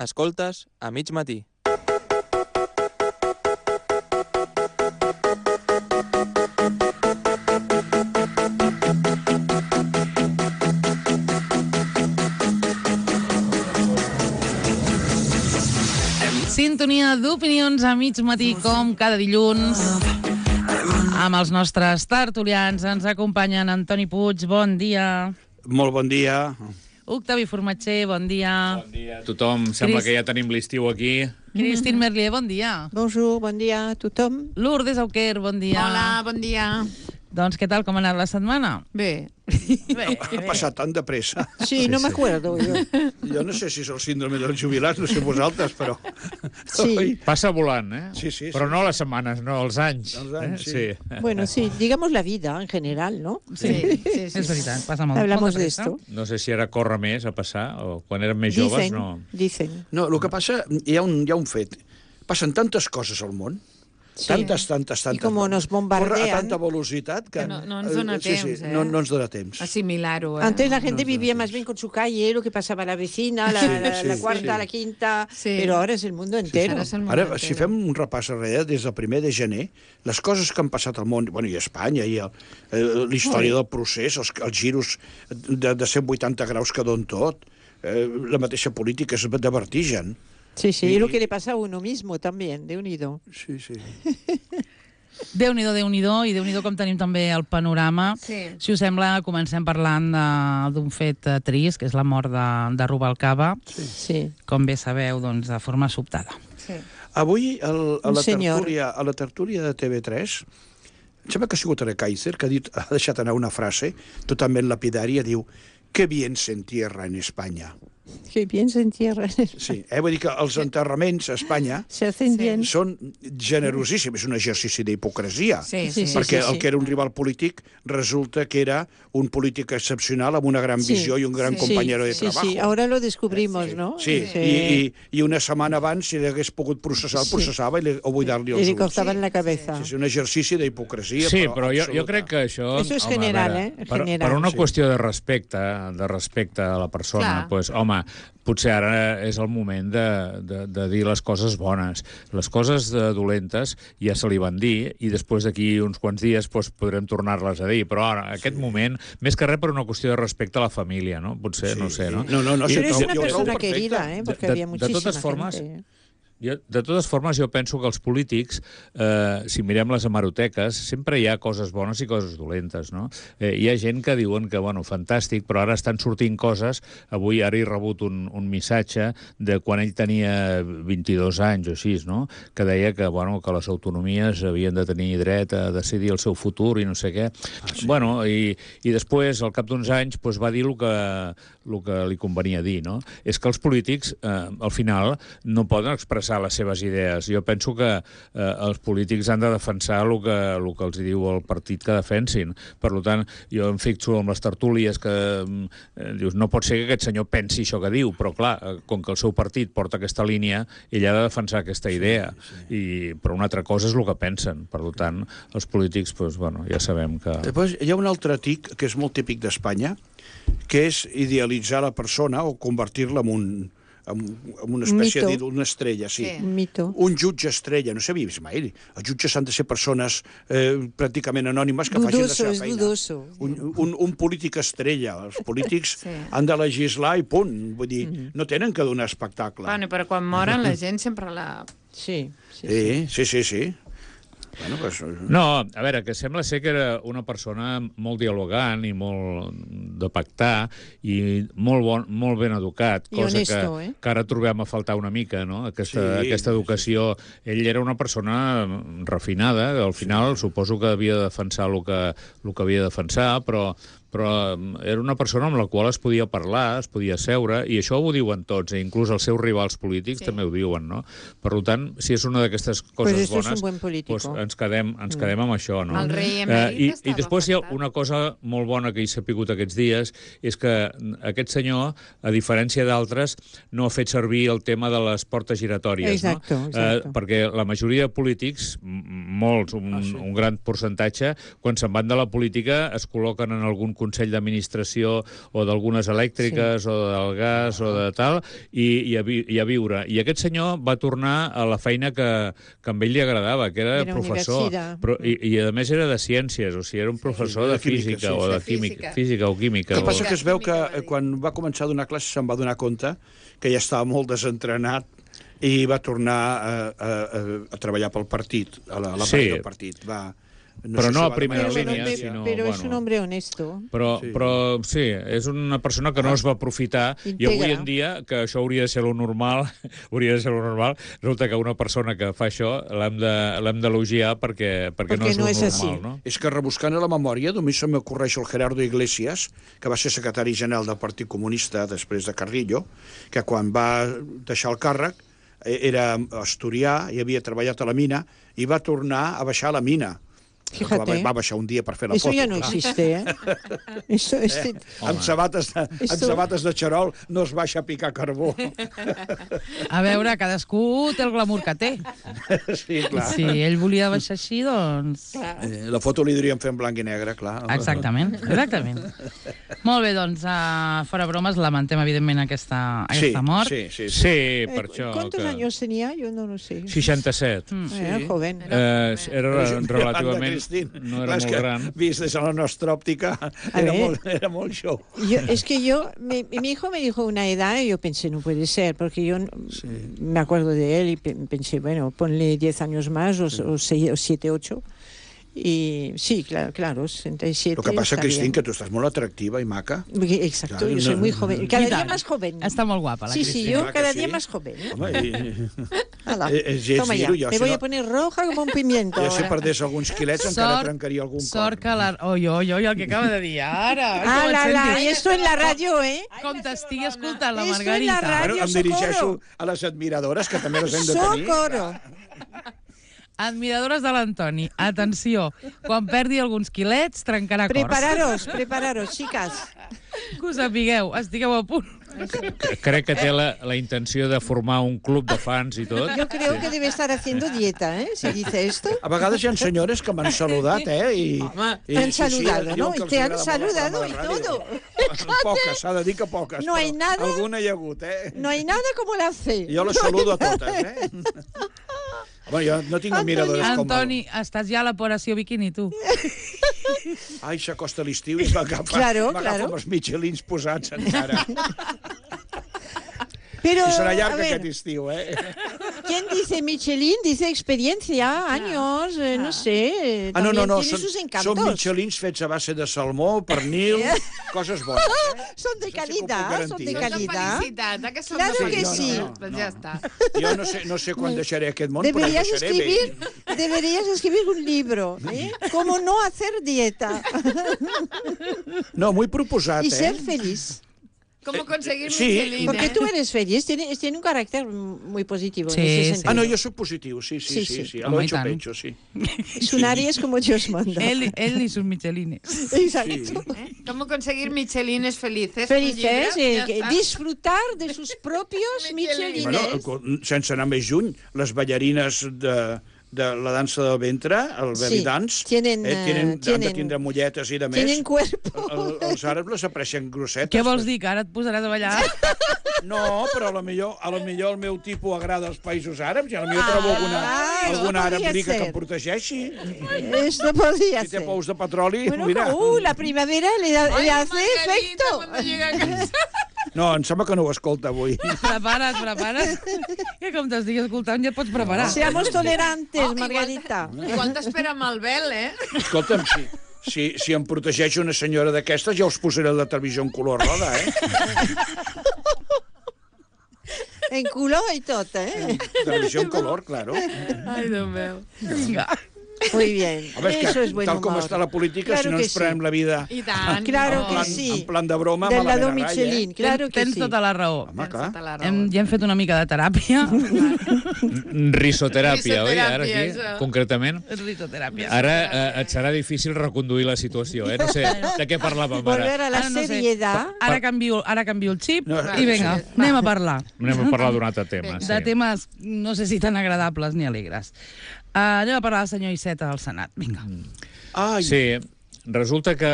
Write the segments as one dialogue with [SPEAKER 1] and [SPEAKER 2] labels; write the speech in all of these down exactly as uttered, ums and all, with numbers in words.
[SPEAKER 1] Escoltes a mig matí.
[SPEAKER 2] Sintonia d'opinions a mig matí, com cada dilluns. Amb els nostres tertulians ens acompanyen Antoni Puig, bon dia.
[SPEAKER 3] Molt bon dia.
[SPEAKER 2] Octavi Formatger, bon dia.
[SPEAKER 4] Bon dia a tothom. Sembla
[SPEAKER 2] Cris-
[SPEAKER 4] que ja tenim l'estiu aquí.
[SPEAKER 2] Christine Merlier, bon dia.
[SPEAKER 5] Bonjour, bon dia a tothom.
[SPEAKER 2] Lourdes Auquer, bon dia.
[SPEAKER 6] Hola, bon dia.
[SPEAKER 2] Doncs què tal, com ha anat la setmana?
[SPEAKER 6] Bé.
[SPEAKER 2] Bé,
[SPEAKER 3] Ha passat tan de pressa.
[SPEAKER 5] Sí, no me acuerdo yo.
[SPEAKER 3] Jo no sé si és el síndrome dels jubilats, no sé vosaltres, però...
[SPEAKER 5] Sí.
[SPEAKER 3] Oi?
[SPEAKER 4] Passa volant, eh?
[SPEAKER 3] Sí, sí,
[SPEAKER 4] Però
[SPEAKER 3] sí.
[SPEAKER 4] no les setmanes, no, els anys.
[SPEAKER 3] Els anys,
[SPEAKER 4] eh?
[SPEAKER 3] sí.
[SPEAKER 5] Bueno, sí, digamos la vida en general, ¿no?
[SPEAKER 6] Sí, sí, sí.
[SPEAKER 2] és veritat, passa molt.
[SPEAKER 5] Hablamos
[SPEAKER 2] molta
[SPEAKER 5] de
[SPEAKER 2] pressa.
[SPEAKER 5] esto.
[SPEAKER 4] No sé si ara corre més a passar, o quan érem més joves,
[SPEAKER 5] Dicen,
[SPEAKER 4] no.
[SPEAKER 5] dicen.
[SPEAKER 3] No, el que passa, hi ha un, hi ha un fet. Passen tantes coses al món,
[SPEAKER 5] Sí.
[SPEAKER 3] tantes, tantes, tantes...
[SPEAKER 5] I com nos bombardean.
[SPEAKER 3] Corre a tanta velocitat que...
[SPEAKER 6] Que no- no ens dona
[SPEAKER 3] sí, sí,
[SPEAKER 6] temps, eh?
[SPEAKER 3] no, no ens dona temps.
[SPEAKER 6] Asimilar-ho, eh?
[SPEAKER 5] Antes la gente
[SPEAKER 3] No, no,
[SPEAKER 5] vivía
[SPEAKER 3] sí,
[SPEAKER 5] más
[SPEAKER 3] sí.
[SPEAKER 5] bien con su calle, lo que pasaba a la vecina, la,
[SPEAKER 3] Sí,
[SPEAKER 5] la,
[SPEAKER 3] sí,
[SPEAKER 5] la
[SPEAKER 3] sí.
[SPEAKER 5] cuarta, la quinta,
[SPEAKER 6] Sí.
[SPEAKER 5] pero ahora es el mundo entero.
[SPEAKER 6] Ara és el món
[SPEAKER 3] Ara,
[SPEAKER 6] entero.
[SPEAKER 3] si fem un repàs darrere, des del primer de gener, les coses que han passat al món, bueno, i a Espanya, i el- eh, la història del procés, els, els giros de, de cent vuitanta graus que don tot, eh, la mateixa política és de vertigen.
[SPEAKER 5] Sí, sí,
[SPEAKER 3] Y-
[SPEAKER 5] y lo que le pasa a uno mismo también, de unido.
[SPEAKER 3] Sí, sí.
[SPEAKER 2] Déu-n'hi-do, Déu-n'hi-do, i Déu-n'hi-do com tenim també el panorama.
[SPEAKER 6] Sí.
[SPEAKER 2] Si us sembla, comencem parlant de- d'un fet eh, trist, que és la mort de, de Rubalcaba,
[SPEAKER 5] Sí.
[SPEAKER 2] com bé sabeu, doncs, de forma sobtada.
[SPEAKER 6] Sí.
[SPEAKER 3] Avui, el, a,
[SPEAKER 5] Un
[SPEAKER 3] la
[SPEAKER 5] senyor.
[SPEAKER 3] tertúlia, a la tertúlia de T V tres, em sembla que ha sigut Ara Kaiser, que ha, dit, ha deixat anar una frase totalment lapidària, diu, que bien se entierra en Espanya.
[SPEAKER 5] Que bien se entierran.
[SPEAKER 3] Sí, eh? Vull dir que els enterraments a Espanya
[SPEAKER 5] Se hacen bien.
[SPEAKER 3] són generosíssims, és un exercici d'hipocresia.
[SPEAKER 6] Sí,
[SPEAKER 5] Sí,
[SPEAKER 6] sí.
[SPEAKER 5] sí,
[SPEAKER 3] Perquè
[SPEAKER 5] sí,
[SPEAKER 3] el
[SPEAKER 5] sí.
[SPEAKER 3] que era un rival polític resulta que era un polític excepcional amb una gran
[SPEAKER 5] Sí.
[SPEAKER 3] visió i un gran
[SPEAKER 6] Sí.
[SPEAKER 3] compañero de
[SPEAKER 5] Sí,
[SPEAKER 3] trabajo.
[SPEAKER 5] sí, ahora lo descubrimos, ¿no?
[SPEAKER 3] Sí, I, i, i una setmana abans, si l'hagués pogut processar, el
[SPEAKER 5] Sí.
[SPEAKER 3] processava i li, o buidar-li
[SPEAKER 5] Y
[SPEAKER 3] els
[SPEAKER 5] le
[SPEAKER 3] ulls.
[SPEAKER 5] cortaban la cabeza.
[SPEAKER 3] Sí, és un exercici d'hipocresia,
[SPEAKER 4] Sí,
[SPEAKER 3] però,
[SPEAKER 4] però jo,
[SPEAKER 3] absoluta.
[SPEAKER 4] jo crec que això...
[SPEAKER 5] Eso es
[SPEAKER 4] home, a
[SPEAKER 5] general,
[SPEAKER 4] veure,
[SPEAKER 5] eh?
[SPEAKER 4] Per,
[SPEAKER 5] General.
[SPEAKER 4] per una
[SPEAKER 3] Sí.
[SPEAKER 4] qüestió de respecte, de respecte a la persona,
[SPEAKER 6] Clar.
[SPEAKER 4] doncs, home, potser ara és el moment de, de, de dir les coses bones. Les coses de dolentes ja se li van dir i després d'aquí uns quants dies doncs, podrem tornar-les a dir. Però ara, en aquest moment, més que res per una qüestió de respecte a la família, no? Potser,
[SPEAKER 3] Sí.
[SPEAKER 4] no sé, no?
[SPEAKER 3] No, no, no,
[SPEAKER 4] I-
[SPEAKER 3] sí,
[SPEAKER 5] Pero es
[SPEAKER 3] jo-
[SPEAKER 5] una
[SPEAKER 3] jo ho trobo
[SPEAKER 5] persona
[SPEAKER 3] perfecte.
[SPEAKER 5] querida, ¿eh? Porque
[SPEAKER 4] De-
[SPEAKER 5] había
[SPEAKER 4] de
[SPEAKER 5] muchísima
[SPEAKER 4] totes formes,
[SPEAKER 5] gente.
[SPEAKER 4] Jo, de totes formes, jo penso que els polítics, eh, si mirem les hemeroteques, sempre hi ha coses bones i coses dolentes, no? Eh, hi ha gent que diuen que, bueno, fantàstic, però ara estan sortint coses. Avui, ara he rebut un, un missatge de quan ell tenia vint-i-dos anys o així, no? Que deia que, bueno, que les autonomies havien de tenir dret a decidir el seu futur i no sé què. Ah, sí. Bueno, i, i després, al cap d'uns anys, doncs, va dir el que, el que li convenia dir, no? És que els polítics, eh, al final, no poden expressar les seves idees. Jo penso que eh, els polítics han de defensar el que, el que els diu el partit que defensin. Per tant, jo em fixo amb les tertúlies que eh, dius, no pot ser que aquest senyor pensi això que diu, però clar, eh, com que el seu partit porta aquesta línia, ell ha de defensar aquesta idea. Sí, sí. I, però una altra cosa és el que pensen. Per tant, els polítics, doncs, bueno, ja sabem que...
[SPEAKER 3] Després hi ha un altre tic que és molt típic d'Espanya, que és idealitzar la persona o convertir-la en un en, en una espècie
[SPEAKER 5] Mito.
[SPEAKER 3] d'ídol, una estrella, sí.
[SPEAKER 6] Sí.
[SPEAKER 5] Un mito.
[SPEAKER 3] Un jutge estrella, no s'havia vist mai. Els jutges han de ser persones eh, pràcticament anònimes que facin la
[SPEAKER 5] Dudoso,
[SPEAKER 3] seva
[SPEAKER 5] es
[SPEAKER 3] feina.
[SPEAKER 5] dudoso.
[SPEAKER 3] Un, un, un polític estrella. Els polítics
[SPEAKER 6] Sí.
[SPEAKER 3] han de legislar i punt. Vull dir, no tenen que donar espectacle.
[SPEAKER 6] Bueno, però quan moren la gent sempre la...
[SPEAKER 5] Sí, sí, sí.
[SPEAKER 3] Sí, sí, sí, sí. Bueno, pues,
[SPEAKER 4] No, a veure, que sembla ser que era una persona molt dialogant i molt de pactar i molt, bon, molt ben educat,
[SPEAKER 5] I
[SPEAKER 4] cosa
[SPEAKER 5] honesto,
[SPEAKER 4] que,
[SPEAKER 5] eh?
[SPEAKER 4] que ara trobem a faltar una mica, no? Aquesta,
[SPEAKER 3] Sí,
[SPEAKER 4] aquesta educació. Ell era una persona refinada, al final suposo que havia de defensar el que, el que havia de defensar, però però era una persona amb la qual es podia parlar, es podia seure, i això ho diuen tots, eh? Inclús els seus rivals polítics
[SPEAKER 6] Sí.
[SPEAKER 4] també ho diuen, no? Per tant, si és una d'aquestes coses
[SPEAKER 5] Pues eso es
[SPEAKER 4] bones,
[SPEAKER 5] un buen político.
[SPEAKER 4] pues ens quedem, ens quedem amb això, no?
[SPEAKER 6] El rei
[SPEAKER 4] Eh,
[SPEAKER 6] emèrit
[SPEAKER 4] i,
[SPEAKER 6] estava
[SPEAKER 4] I després hi ha
[SPEAKER 6] afectat.
[SPEAKER 4] una cosa molt bona que he sapigut aquests dies, és que aquest senyor, a diferència d'altres, no ha fet servir el tema de les portes giratòries,
[SPEAKER 5] Exacto,
[SPEAKER 4] no?
[SPEAKER 5] exacto.
[SPEAKER 4] Eh, perquè la majoria de polítics, m- molts, un,
[SPEAKER 3] Ah, sí.
[SPEAKER 4] un gran percentatge, quan se'n van de la política es col·loquen en algun Consell d'Administració o d'algunes elèctriques sí. o del gas o de tal, i, i, a, vi, i a viure. I aquest senyor va tornar a la feina que, que a ell li agradava, que era, era professor. Però, i, I a més era de ciències, o sigui, era un professor sí, de, de física, física sí, o de química, física o química.
[SPEAKER 3] El que passa
[SPEAKER 4] o...
[SPEAKER 3] que es veu que quan va començar a donar classes se'n va donar compte que ja estava molt desentrenat i va tornar a, a, a, a treballar pel partit, a la, a la
[SPEAKER 4] sí.
[SPEAKER 3] del partit. Va,
[SPEAKER 4] no però
[SPEAKER 3] sé
[SPEAKER 4] no
[SPEAKER 3] si
[SPEAKER 4] a primera
[SPEAKER 5] pero,
[SPEAKER 4] línia,
[SPEAKER 5] bueno,
[SPEAKER 4] sinó...
[SPEAKER 5] Però
[SPEAKER 4] bueno,
[SPEAKER 5] és un hombre honesto.
[SPEAKER 4] Però sí. però sí, és una persona que no es va aprofitar
[SPEAKER 5] Integra.
[SPEAKER 4] I avui en dia, que això hauria de ser lo normal, hauria de ser lo normal, resulta que una persona que fa això l'hem de, l'hem d'elogiar perquè, perquè, perquè no és
[SPEAKER 5] no
[SPEAKER 4] lo
[SPEAKER 5] és
[SPEAKER 4] normal,
[SPEAKER 5] així.
[SPEAKER 4] No?
[SPEAKER 3] És que rebuscant a la memòria, només se m'ocorreix el Gerardo Iglesias, que va ser secretari general del Partit Comunista després de Carrillo, que quan va deixar el càrrec era asturià i havia treballat a la mina i va tornar a baixar a la mina.
[SPEAKER 5] Fíjate.
[SPEAKER 3] Va, va baixar un dia per fer la
[SPEAKER 5] Eso
[SPEAKER 3] foto.
[SPEAKER 5] ya no
[SPEAKER 3] clar.
[SPEAKER 5] existe, ¿eh? Eso, este...
[SPEAKER 3] eh? Amb, sabates de, amb
[SPEAKER 5] Esto...
[SPEAKER 3] sabates de xarol no es baixa a picar carbó.
[SPEAKER 2] A veure, cadascú té el glamour que té.
[SPEAKER 3] Sí, clar.
[SPEAKER 2] Si ell volia baixar així, doncs...
[SPEAKER 3] Eh, la foto li diríem fer en blanc i negre, clar.
[SPEAKER 2] Exactament, exactament. Molt bé, doncs, uh, fora bromes, lamentem, evidentment, aquesta, aquesta
[SPEAKER 3] sí,
[SPEAKER 2] mort.
[SPEAKER 3] Sí, sí, sí.
[SPEAKER 4] Sí,
[SPEAKER 5] Eh,
[SPEAKER 4] per això...
[SPEAKER 5] ¿Cuántos
[SPEAKER 4] que...
[SPEAKER 5] años tenía? Yo no lo sé.
[SPEAKER 4] seixanta-set.
[SPEAKER 2] Mm.
[SPEAKER 5] Sí. Era joven.
[SPEAKER 4] Eh, era relativament...
[SPEAKER 3] Cristín,
[SPEAKER 4] no era molt gran.
[SPEAKER 3] Vist des de la nostra òptica, era
[SPEAKER 5] ver.
[SPEAKER 3] molt, era molt show.
[SPEAKER 5] Yo, es que yo, mi, mi hijo me dijo una edad y yo pensé, no puede ser, porque yo
[SPEAKER 3] Sí.
[SPEAKER 5] me acuerdo de él y pe- pensé, bueno, ponle diez años más o, o, seis, o siete, ocho. Y sí, claro, claro, sesenta y siete.
[SPEAKER 3] Lo que passa,
[SPEAKER 5] está
[SPEAKER 3] Cristín,
[SPEAKER 5] bien.
[SPEAKER 3] que tu estàs molt atractiva i maca.
[SPEAKER 5] Exacto,
[SPEAKER 3] Claro,
[SPEAKER 5] yo soy
[SPEAKER 3] no-
[SPEAKER 5] muy joven. Cada
[SPEAKER 2] I
[SPEAKER 5] día
[SPEAKER 2] tant.
[SPEAKER 5] más joven.
[SPEAKER 2] Està molt guapa, la
[SPEAKER 5] Sí, sí,
[SPEAKER 2] Cristina.
[SPEAKER 5] yo
[SPEAKER 3] Clar que
[SPEAKER 5] cada
[SPEAKER 3] sí.
[SPEAKER 5] día más joven. ¿eh?
[SPEAKER 3] Home, i,
[SPEAKER 5] Hala,
[SPEAKER 3] Eh, eh, gens
[SPEAKER 5] toma ya.
[SPEAKER 3] dir-ho, jo,
[SPEAKER 5] Me
[SPEAKER 3] si
[SPEAKER 5] voy
[SPEAKER 3] no-
[SPEAKER 5] a poner roja como un pimiento.
[SPEAKER 3] ja si
[SPEAKER 5] ahora.
[SPEAKER 3] perdés alguns quilets encara trencaria algun
[SPEAKER 2] sort
[SPEAKER 3] cor.
[SPEAKER 2] que la... Oi, oi, oi, el que acaba de dir ara.
[SPEAKER 5] Ah,
[SPEAKER 2] Com et
[SPEAKER 5] la, la,
[SPEAKER 2] sentis?
[SPEAKER 5] y esto en la radio, ¿eh?
[SPEAKER 2] Com t'estigui escoltant la
[SPEAKER 5] Esto en la
[SPEAKER 2] Margarita.
[SPEAKER 5] radio.
[SPEAKER 3] Bueno, em dirigeixo a les admiradores, que també les hem de tenir.
[SPEAKER 5] Socorro.
[SPEAKER 2] Admiradores de l'Antoni, atenció, quan perdi alguns quilets, trencarà cors.
[SPEAKER 5] Prepararos, prepararos, chicas.
[SPEAKER 2] Que us sapigueu, estigueu a punt.
[SPEAKER 4] Crec que té la, la intenció de formar un club de fans i tot.
[SPEAKER 5] Yo creo que debe estar haciendo dieta, ¿eh? Si dice esto.
[SPEAKER 3] A vegades hi ha senyores que m'han saludat, eh? I, i,
[SPEAKER 5] Te han saludado,
[SPEAKER 3] diuen
[SPEAKER 5] ¿no?
[SPEAKER 3] que els
[SPEAKER 5] Te han
[SPEAKER 3] agrada molt el
[SPEAKER 5] saludado
[SPEAKER 3] programa
[SPEAKER 5] y
[SPEAKER 3] de ràdio.
[SPEAKER 5] todo.
[SPEAKER 3] Poques, s'ha de dir que poques.
[SPEAKER 5] No hay
[SPEAKER 3] però
[SPEAKER 5] nada.
[SPEAKER 3] Alguna hi ha hagut, eh?
[SPEAKER 5] No hay nada como la C.
[SPEAKER 3] Jo les saludo a totes, eh? Home, jo no tinc admiradores com...
[SPEAKER 2] Antoni, estàs ja a l'operació biquini, tu.
[SPEAKER 3] Ai, s'acosta l'estiu i m'agafa
[SPEAKER 5] Claro,
[SPEAKER 3] m'agafa
[SPEAKER 5] claro.
[SPEAKER 3] amb els Michelins posats encara.
[SPEAKER 5] Pero,
[SPEAKER 3] I serà
[SPEAKER 5] a
[SPEAKER 3] llarg
[SPEAKER 5] ver,
[SPEAKER 3] aquest estiu, eh?
[SPEAKER 5] ¿quién dice Michelin? Dice experiencia, años, eh, no sé.
[SPEAKER 3] Ah, no, no,
[SPEAKER 5] también
[SPEAKER 3] no,
[SPEAKER 5] tiene
[SPEAKER 3] són,
[SPEAKER 5] sus encantos.
[SPEAKER 3] són Michelins fets a base de salmó, pernil, coses bones. Eh?
[SPEAKER 5] Son de
[SPEAKER 3] Això sí que ho puc
[SPEAKER 5] calidad, son de
[SPEAKER 3] garantir.
[SPEAKER 6] Són de
[SPEAKER 5] calidad.
[SPEAKER 6] felicitat, eh, que són
[SPEAKER 5] Claro
[SPEAKER 6] de
[SPEAKER 5] que
[SPEAKER 6] felicitat.
[SPEAKER 5] sí.
[SPEAKER 3] No, no,
[SPEAKER 6] Doncs
[SPEAKER 3] no.
[SPEAKER 6] ja està.
[SPEAKER 3] Jo no sé, no sé quan deixaré aquest món,
[SPEAKER 5] Deberías
[SPEAKER 3] però el deixaré
[SPEAKER 5] escribir,
[SPEAKER 3] bé.
[SPEAKER 5] deberías escribir un libro, ¿eh? Cómo no hacer dieta
[SPEAKER 3] No, muy proposat,
[SPEAKER 5] y
[SPEAKER 3] eh?
[SPEAKER 5] ser feliz.
[SPEAKER 6] ¿Cómo conseguir
[SPEAKER 3] Sí,
[SPEAKER 6] Michelin?
[SPEAKER 5] Porque
[SPEAKER 6] eh?
[SPEAKER 5] tú eres feliz, tiene, tiene un carácter muy positivo
[SPEAKER 2] Sí,
[SPEAKER 5] en ese
[SPEAKER 2] sí.
[SPEAKER 5] sentido.
[SPEAKER 3] Ah, no, jo sóc positiu, sí, sí,
[SPEAKER 5] Sí,
[SPEAKER 3] sí,
[SPEAKER 5] sí.
[SPEAKER 3] sí, a
[SPEAKER 2] Home,
[SPEAKER 3] lo
[SPEAKER 2] i
[SPEAKER 3] hecho
[SPEAKER 2] tant.
[SPEAKER 3] pecho, sí.
[SPEAKER 5] Es un Aries como Dios manda.
[SPEAKER 2] Ell, ell i sus michelines.
[SPEAKER 5] Exacto.
[SPEAKER 6] ¿Eh? ¿Cómo conseguir Michelines felices? Un
[SPEAKER 5] Felices,
[SPEAKER 6] llibre,
[SPEAKER 5] eh,
[SPEAKER 6] ja
[SPEAKER 5] que
[SPEAKER 6] està.
[SPEAKER 5] disfrutar de sus propios
[SPEAKER 6] Michelines.
[SPEAKER 5] michelines.
[SPEAKER 3] Bueno, sense anar més lluny, les ballarines de, de la dansa del ventre, el
[SPEAKER 5] Sí,
[SPEAKER 3] belly dance,
[SPEAKER 5] tienen,
[SPEAKER 3] eh, tienen,
[SPEAKER 5] eh,
[SPEAKER 3] han de
[SPEAKER 5] tienen-
[SPEAKER 3] tindre molletes i de més.
[SPEAKER 5] Tienen cuerpo.
[SPEAKER 3] El, els àrabs les apareixen grossetes.
[SPEAKER 2] Què vols dir, que ara et posaràs a ballar?
[SPEAKER 3] No, però a lo millor, a lo millor el meu tipus agrada als països àrabs i a lo millor trobo alguna,
[SPEAKER 5] Ah,
[SPEAKER 3] alguna
[SPEAKER 5] això
[SPEAKER 3] àrab
[SPEAKER 5] podria
[SPEAKER 3] rica que
[SPEAKER 5] ser.
[SPEAKER 3] em protegeixi.
[SPEAKER 5] Esto podría
[SPEAKER 3] Si té
[SPEAKER 5] ser.
[SPEAKER 3] pous de petroli,
[SPEAKER 5] Bueno,
[SPEAKER 3] mira.
[SPEAKER 5] uh, la primavera le, da-
[SPEAKER 6] Ay,
[SPEAKER 5] le hace
[SPEAKER 6] Margarita,
[SPEAKER 5] efecto.
[SPEAKER 6] cuando llega a casa.
[SPEAKER 3] No, em sembla que no ho escolta avui.
[SPEAKER 2] Prepara't, prepara't. Que com t'estigui escoltant ja et pots preparar.
[SPEAKER 5] Seamos tolerantes,
[SPEAKER 6] Oh, igual-
[SPEAKER 5] Margarita.
[SPEAKER 6] Igual t'espera amb el vel, eh?
[SPEAKER 3] Escolta'm, si, si, si em protegeix una senyora d'aquestes, ja us posaré la televisió en color roda, eh?
[SPEAKER 5] En culo y todo, ¿eh?
[SPEAKER 3] Televisió en color, claro.
[SPEAKER 6] Ai, Déu meu.
[SPEAKER 2] Vinga.
[SPEAKER 5] Muy bien.
[SPEAKER 3] Home, és
[SPEAKER 5] Eso
[SPEAKER 3] que,
[SPEAKER 5] es buen
[SPEAKER 3] tal com
[SPEAKER 5] humor.
[SPEAKER 3] està la política,
[SPEAKER 5] Claro
[SPEAKER 3] si no
[SPEAKER 5] que
[SPEAKER 3] ens prenem
[SPEAKER 5] sí.
[SPEAKER 3] la vida
[SPEAKER 6] I tant.
[SPEAKER 5] Claro
[SPEAKER 3] en
[SPEAKER 5] que
[SPEAKER 3] plan,
[SPEAKER 5] sí.
[SPEAKER 3] en plan de broma,
[SPEAKER 5] Del
[SPEAKER 3] malament
[SPEAKER 5] lado
[SPEAKER 3] a ratlla,
[SPEAKER 5] Michelin,
[SPEAKER 3] eh?
[SPEAKER 5] claro que
[SPEAKER 2] Tens
[SPEAKER 5] sí.
[SPEAKER 2] tota la raó.
[SPEAKER 3] Home, clar.
[SPEAKER 6] Tota la raó.
[SPEAKER 2] Hem, ja hem fet una mica de teràpia.
[SPEAKER 4] Risoteràpia, oi, ara
[SPEAKER 6] Risoteràpia,
[SPEAKER 4] aquí,
[SPEAKER 6] això.
[SPEAKER 4] concretament?
[SPEAKER 2] Risoteràpia.
[SPEAKER 4] Ara eh, et serà difícil reconduir la situació, eh? No sé de què parlàvem
[SPEAKER 5] Volver
[SPEAKER 4] ara.
[SPEAKER 5] a la
[SPEAKER 2] Ara no sé.
[SPEAKER 5] seriedad.
[SPEAKER 2] Ara canvio, ara canvio el xip
[SPEAKER 3] No,
[SPEAKER 2] i vinga,
[SPEAKER 6] sí.
[SPEAKER 2] anem a parlar.
[SPEAKER 4] Anem a parlar d'un altre tema.
[SPEAKER 2] De temes, no sé si tan agradables ni alegres. Uh, anem a parlar del senyor Iceta al Senat. Vinga.
[SPEAKER 3] Ai,
[SPEAKER 4] Sí, resulta que